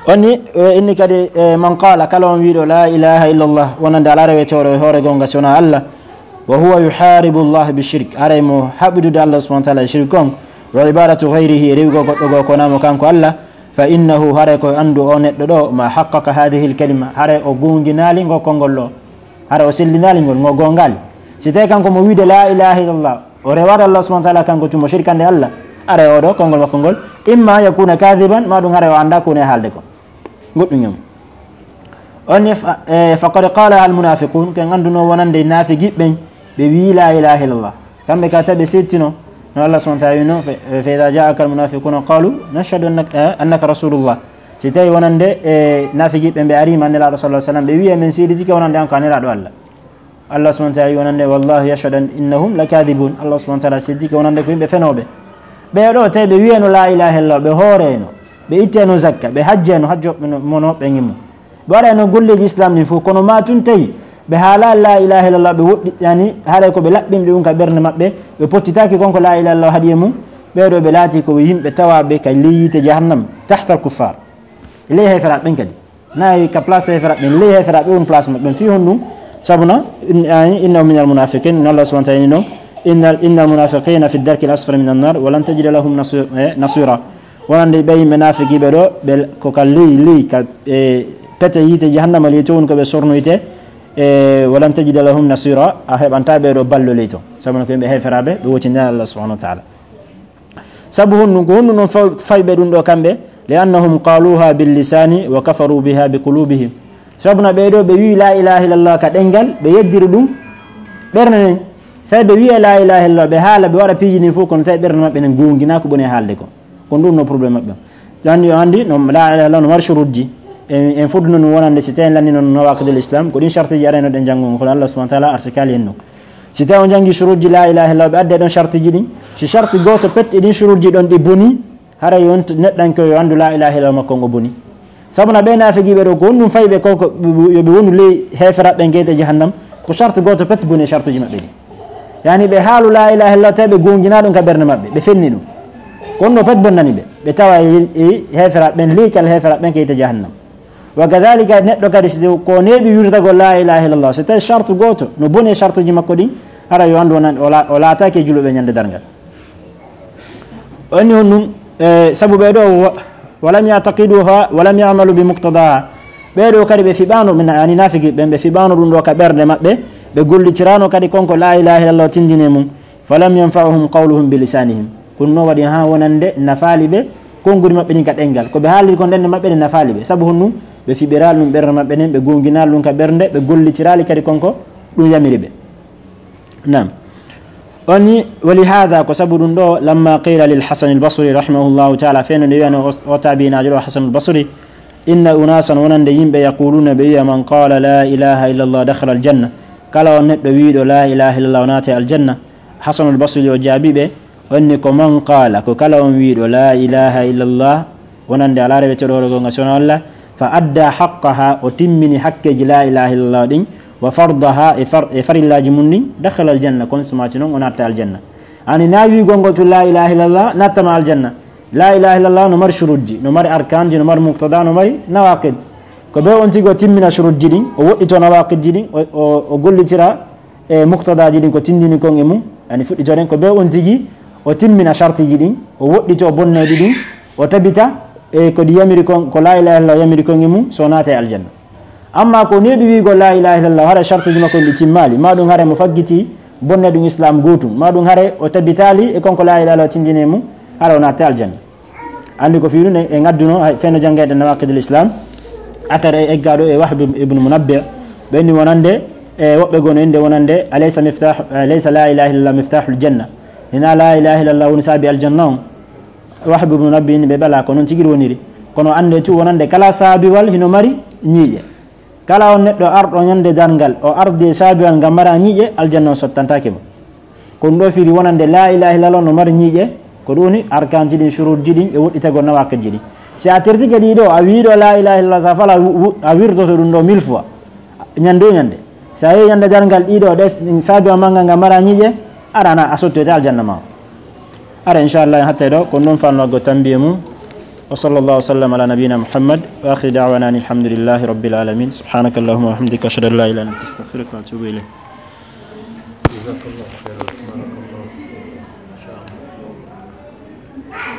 On ni, e, inni kadi, e, man qala, kala on wiiɗo la ilaha illallah, wonande alaa rewetooɗo e hoore goonga si wonaa Allah, wa huwa yuharibu Allah bi shirk, haray mo haɓidude Allah subhanahu wa taala e shirk on, wa ibadatu ghayrihi, e rewugol goɗɗo goo ko wonaa mo kanko Allah, fa innahu, haray ko anndu o neɗɗo ɗo, ma haqqaqa hadhihi al kalima, haray o goonginaali ngo konngol ɗo, haray o sellinaali ngol, ngo goongaali. Si tawi kanko mo wiide la ilaha illallah, o rewaade Allah subhanahu wa taala kanko tuma, o shirkande Allah, haray o ɗo konngol makko ngol, imma an yakuna kadiban, ma ɗum haray o anndaa ko woni e haalde ko. Goɗɗum e mum. On ne fa-, e, faqad qalaha al munafiqun, ko en annduno wonande naafigiiɓe ɓen, ɓe wii la ilaha illallah. Kamɓe ka tawi ɓe seettino, no Allah subhanahu wa taala wino, fa, fa idha ja'aka al munafiquna qalu nashhadu annaka, e, annaka rasulullah. Si tawi wonande, e, naafigiiɓe ɓen ɓe ariima Nelaaɗo sallallahu alaihi wasallam, ɓe wii men seeditike wonande an ko a Nelaaɗo Allah. Allah subhanahu wa taala wi wonande, "Wallahu yashhadu an innahum lakadibun." Allah subhanahu wa taala seedike wonande ko yimɓe fenooɓe. Ɓee ɗoo tawi ɓe wiyano la ilaha illallah, ɓe hooreno, ɓe itteno zakka, ɓe hajjeno, hajjo ɓe no, mo no ɓe ngimmo. Ɓe waɗano golleeji islam ɗin fof, kono ma tun tawi ɓe haala la ilaha illallah, ɓe woɗɗi, yani, haray ko ɓe laɓɓinɓe ɗum ka ɓernde maɓɓe, ɓe pottitaki kon ko la ilaha illallah haɗi e mum. Ɓee ɗoo ɓe laati ko yimɓe tawaaɓe ka ley yiite jahannam, tahta al kuffar. Ley heeferaaɓe ɓen kadi. Nayi ka place heeferaaɓe ɓen, ley heeferaaɓe on place maɓɓe ɓen. Fii honɗum? Sabuna, in-, ay, "Innahu minal munafiqin", no Allah subhanahu wa ta'ala ni ɗon, "Innal, innal munafiqina fi darkil asfali minan nar, wa lan tajida lahum nasi-, eh, nasira." Wonande ɓe yimɓe naafiqiiɓe ɗoo, ɓe ko ka ley, ley, ka, eh, pete yiite jahannama ley to woni ko ɓe sornoyte, eh, "wa lan tajida lahum nasira", a heɓanta ɓee ɗoo ballo ley to. Sabuna ko yimɓe heeferaaɓe, ɓe woti nder Allah subhanahu wa ta'ala. Sabu honɗum? Ko honɗum ɗon faw-, fayɓe ɗum ɗo kamɓe? "Li annahum qaluha bil lisani wa kafaru biha bi qulubihim." Sabuna ɓee ɗoo ɓe wii la ilaha illallah ka ɗenngal, ɓe yeddiri ɗum ɓernde nden. Tawi ɓe wiya la ilaha illallah, ɓe haala, ɓe waɗa piiji ɗin fof, kono tawi ɓernde maɓɓe nden goonginaa ko ɓe woni e haalde ko. Ko ɗum no problème maɓɓe. Anndi, o anndi, no, la ilaha illallah no mari shuruutji. En, en fodduno ɗum wonande si tawi en lanndino nawaqidul islam, ko ɗin shartiiji arayno ɗen janngo, kono Allah subhanahu wa ta'ala arsikaali en ɗum. Si tawi on janngi shuruutji la ilaha illallah, ɓe adde ɗon shartiiji ɗin. Si sharti gooto pet e ɗin shuruutji ɗon ɗi boni, haray on t-, neɗɗanke o yo anndu la ilaha illallah makko on o boni. Sabuna ɓe naafiqiiɓe ɗoo, ko honɗum fayi ɓe ko, ko, yo ɓe wonu ley heeferaaɓe ɓen geyte jahannam, ko sharti gooto pet boni e shartuuji maɓɓe ɗin. Yani ɓe haalu la ilaha illallah, tawi ɓe goonginaa ɗum ka ɓernde maɓɓe, ɓe fenni ɗum. Ko honno pet bonnani ɓe? Ɓe tawa e, e heeferaaɓe ɓen, ley kal heeferaaɓe ɓen geyte jahannam. Wa kadhalika neɗɗo kadi, si ko neeɓi wirtagol la ilaha illallah, so tawi shartu gooto no boni e shartuuji makko ɗin, hara yo anndu o nan-, o la-, o laataaki e juuluɓe ñande darngal. O inni honɗum, e, sabu ɓee ɗoo, wa-, "walam ya'taqiduha walam ya'malu bi muqtadaha." Ɓee ɗoo kadi ɓe fiɓaano, min, yani naafiqiiɓe ɓen, ɓe fiɓaano ɗum ɗoo ka ɓernde maɓɓe, ɓe gollitiraano kadi kon ko la ilaha illallah tindini e mum. "Falam yanfa'uhum qawluhum bi lisanihim." Ko ɗum no waɗi haa wonande nafaali ɓe konguɗi maɓɓe ɗin ka ɗenngal. Ko ɓe haaliri kon ɗen maɓɓe ɗen nafaali ɓe. Sabu honɗum? Ɓe fiɓiraali ɗum ɓernde maɓɓe nden, ɓe goonginaali ɗum ka ɓernde, ɓe gollitiraali kadi kon ko ɗum yamiri ɓe. Naam. O inni, "Wa li hadha", ko sabu ɗum ɗoo, "lamma qila lil Hasan al Basri rahimahullahu ta'ala", fenno nde wiyano o, o tabiinaajo ɗoo Hasan al Basri, "Inna unasan", wonande yimɓe, "yaquluna", ɓe wiya, "Man qala la ilaha illallah dakhala al janna", kala on neɗɗo wiiɗo la ilaha illallah o naata aljanna. Hasanul Basri o jaabi ɓe, o inni, "Ko man qala", ko kala on wiiɗo la ilaha illallah, wonande alaa reweteeɗo hoore goonga si wonaa Allah, "fa adda haqqaha", o timmini hakkeeji la ilaha illallah ɗin, "wa fardaha", e far-, e farillaaji mum ɗin, "dakhala al janna", kon sumaati non o natta aljanna. Ani na wiigol ngol tun la ilaha illallah nattama aljanna. La ilaha illallah no mari shurutji, no mari arkanji, no mari muqtada, no mari nawaqid. Ko be on tigi o timmina shurutji ɗin, o woɗɗito nawaqidji ɗin, o, o, o gollitira e muqtadaji ɗin ko tindini kon e mum, yani fuɗɗitoren ko be on tigi o timmina shartiji ɗin, o woɗɗito bonneɗi ɗin, o tabita e ko ɗi yamiri kon, ko la ilaha illallah yamiri kon e mum, so naata e aljanna. Amma ko neeɓi wiigol la ilaha illallah, hara shartiji makko ɗi timmaali, ma ɗum hare mo faggiti bonne ɗum islam gootum, ma ɗum hare o tabitaali e kon ko la ilaha illallah tindini e mum, hara o naata e aljanna. Anndi ko fii ɗum e, e ngadduno, hay, fenno janngayɗen Nawaqidul Islam, athar e eggaaɗo e Wahb ibn Munabbih, ɓe inni wonande, e woɓɓe goo no innde wonande, "Alaysa miftah, alaysa la ilaha illallah miftahul janna?" Hina la ilaha illallah woni saabi aljanna on? Wahb ibn Munabbih inni ɓe bala, ko noon tigi woniri. Kono annden tun wonande kala saabiwal hino mari ñiiƴe. Kala on neɗɗo arɗo ñande darngal, o ardi e saabiwal ngal mara ñiiƴe, aljanna on sottantaake mo. Ko ɗum ɗo firi wonande la ilaha illallah no mari ñiiƴe, ko ɗum woni arkanji ɗin, shurutji ɗin e woɗɗitagol nawaqidji ɗin. Si a tertike ɗiɗo, a wiiɗo la ilaha illallah, sa fala wu-, wu-, a wirtoto ɗum ɗo mille fois. Ñande o ñande. Sa yehi ñande darngal ɗiɗo, ɗe s-, saabiwal ma ngal ngal mara ñiiƴe, aɗa ana a sottoyte aljanna ma. Ara, inchallah, en hattay ɗo, ko ɗum fanno go tambiye mum. Wa sallallahu wa sallam ala nabiyina Muhammad, wa akhir da'wana anil hamdulillahi rabbil alamin. Subhanaka allahumma wa bihamdika, ashhadu an la ilaha illa anta, astaghfiruka wa atubu ilayk.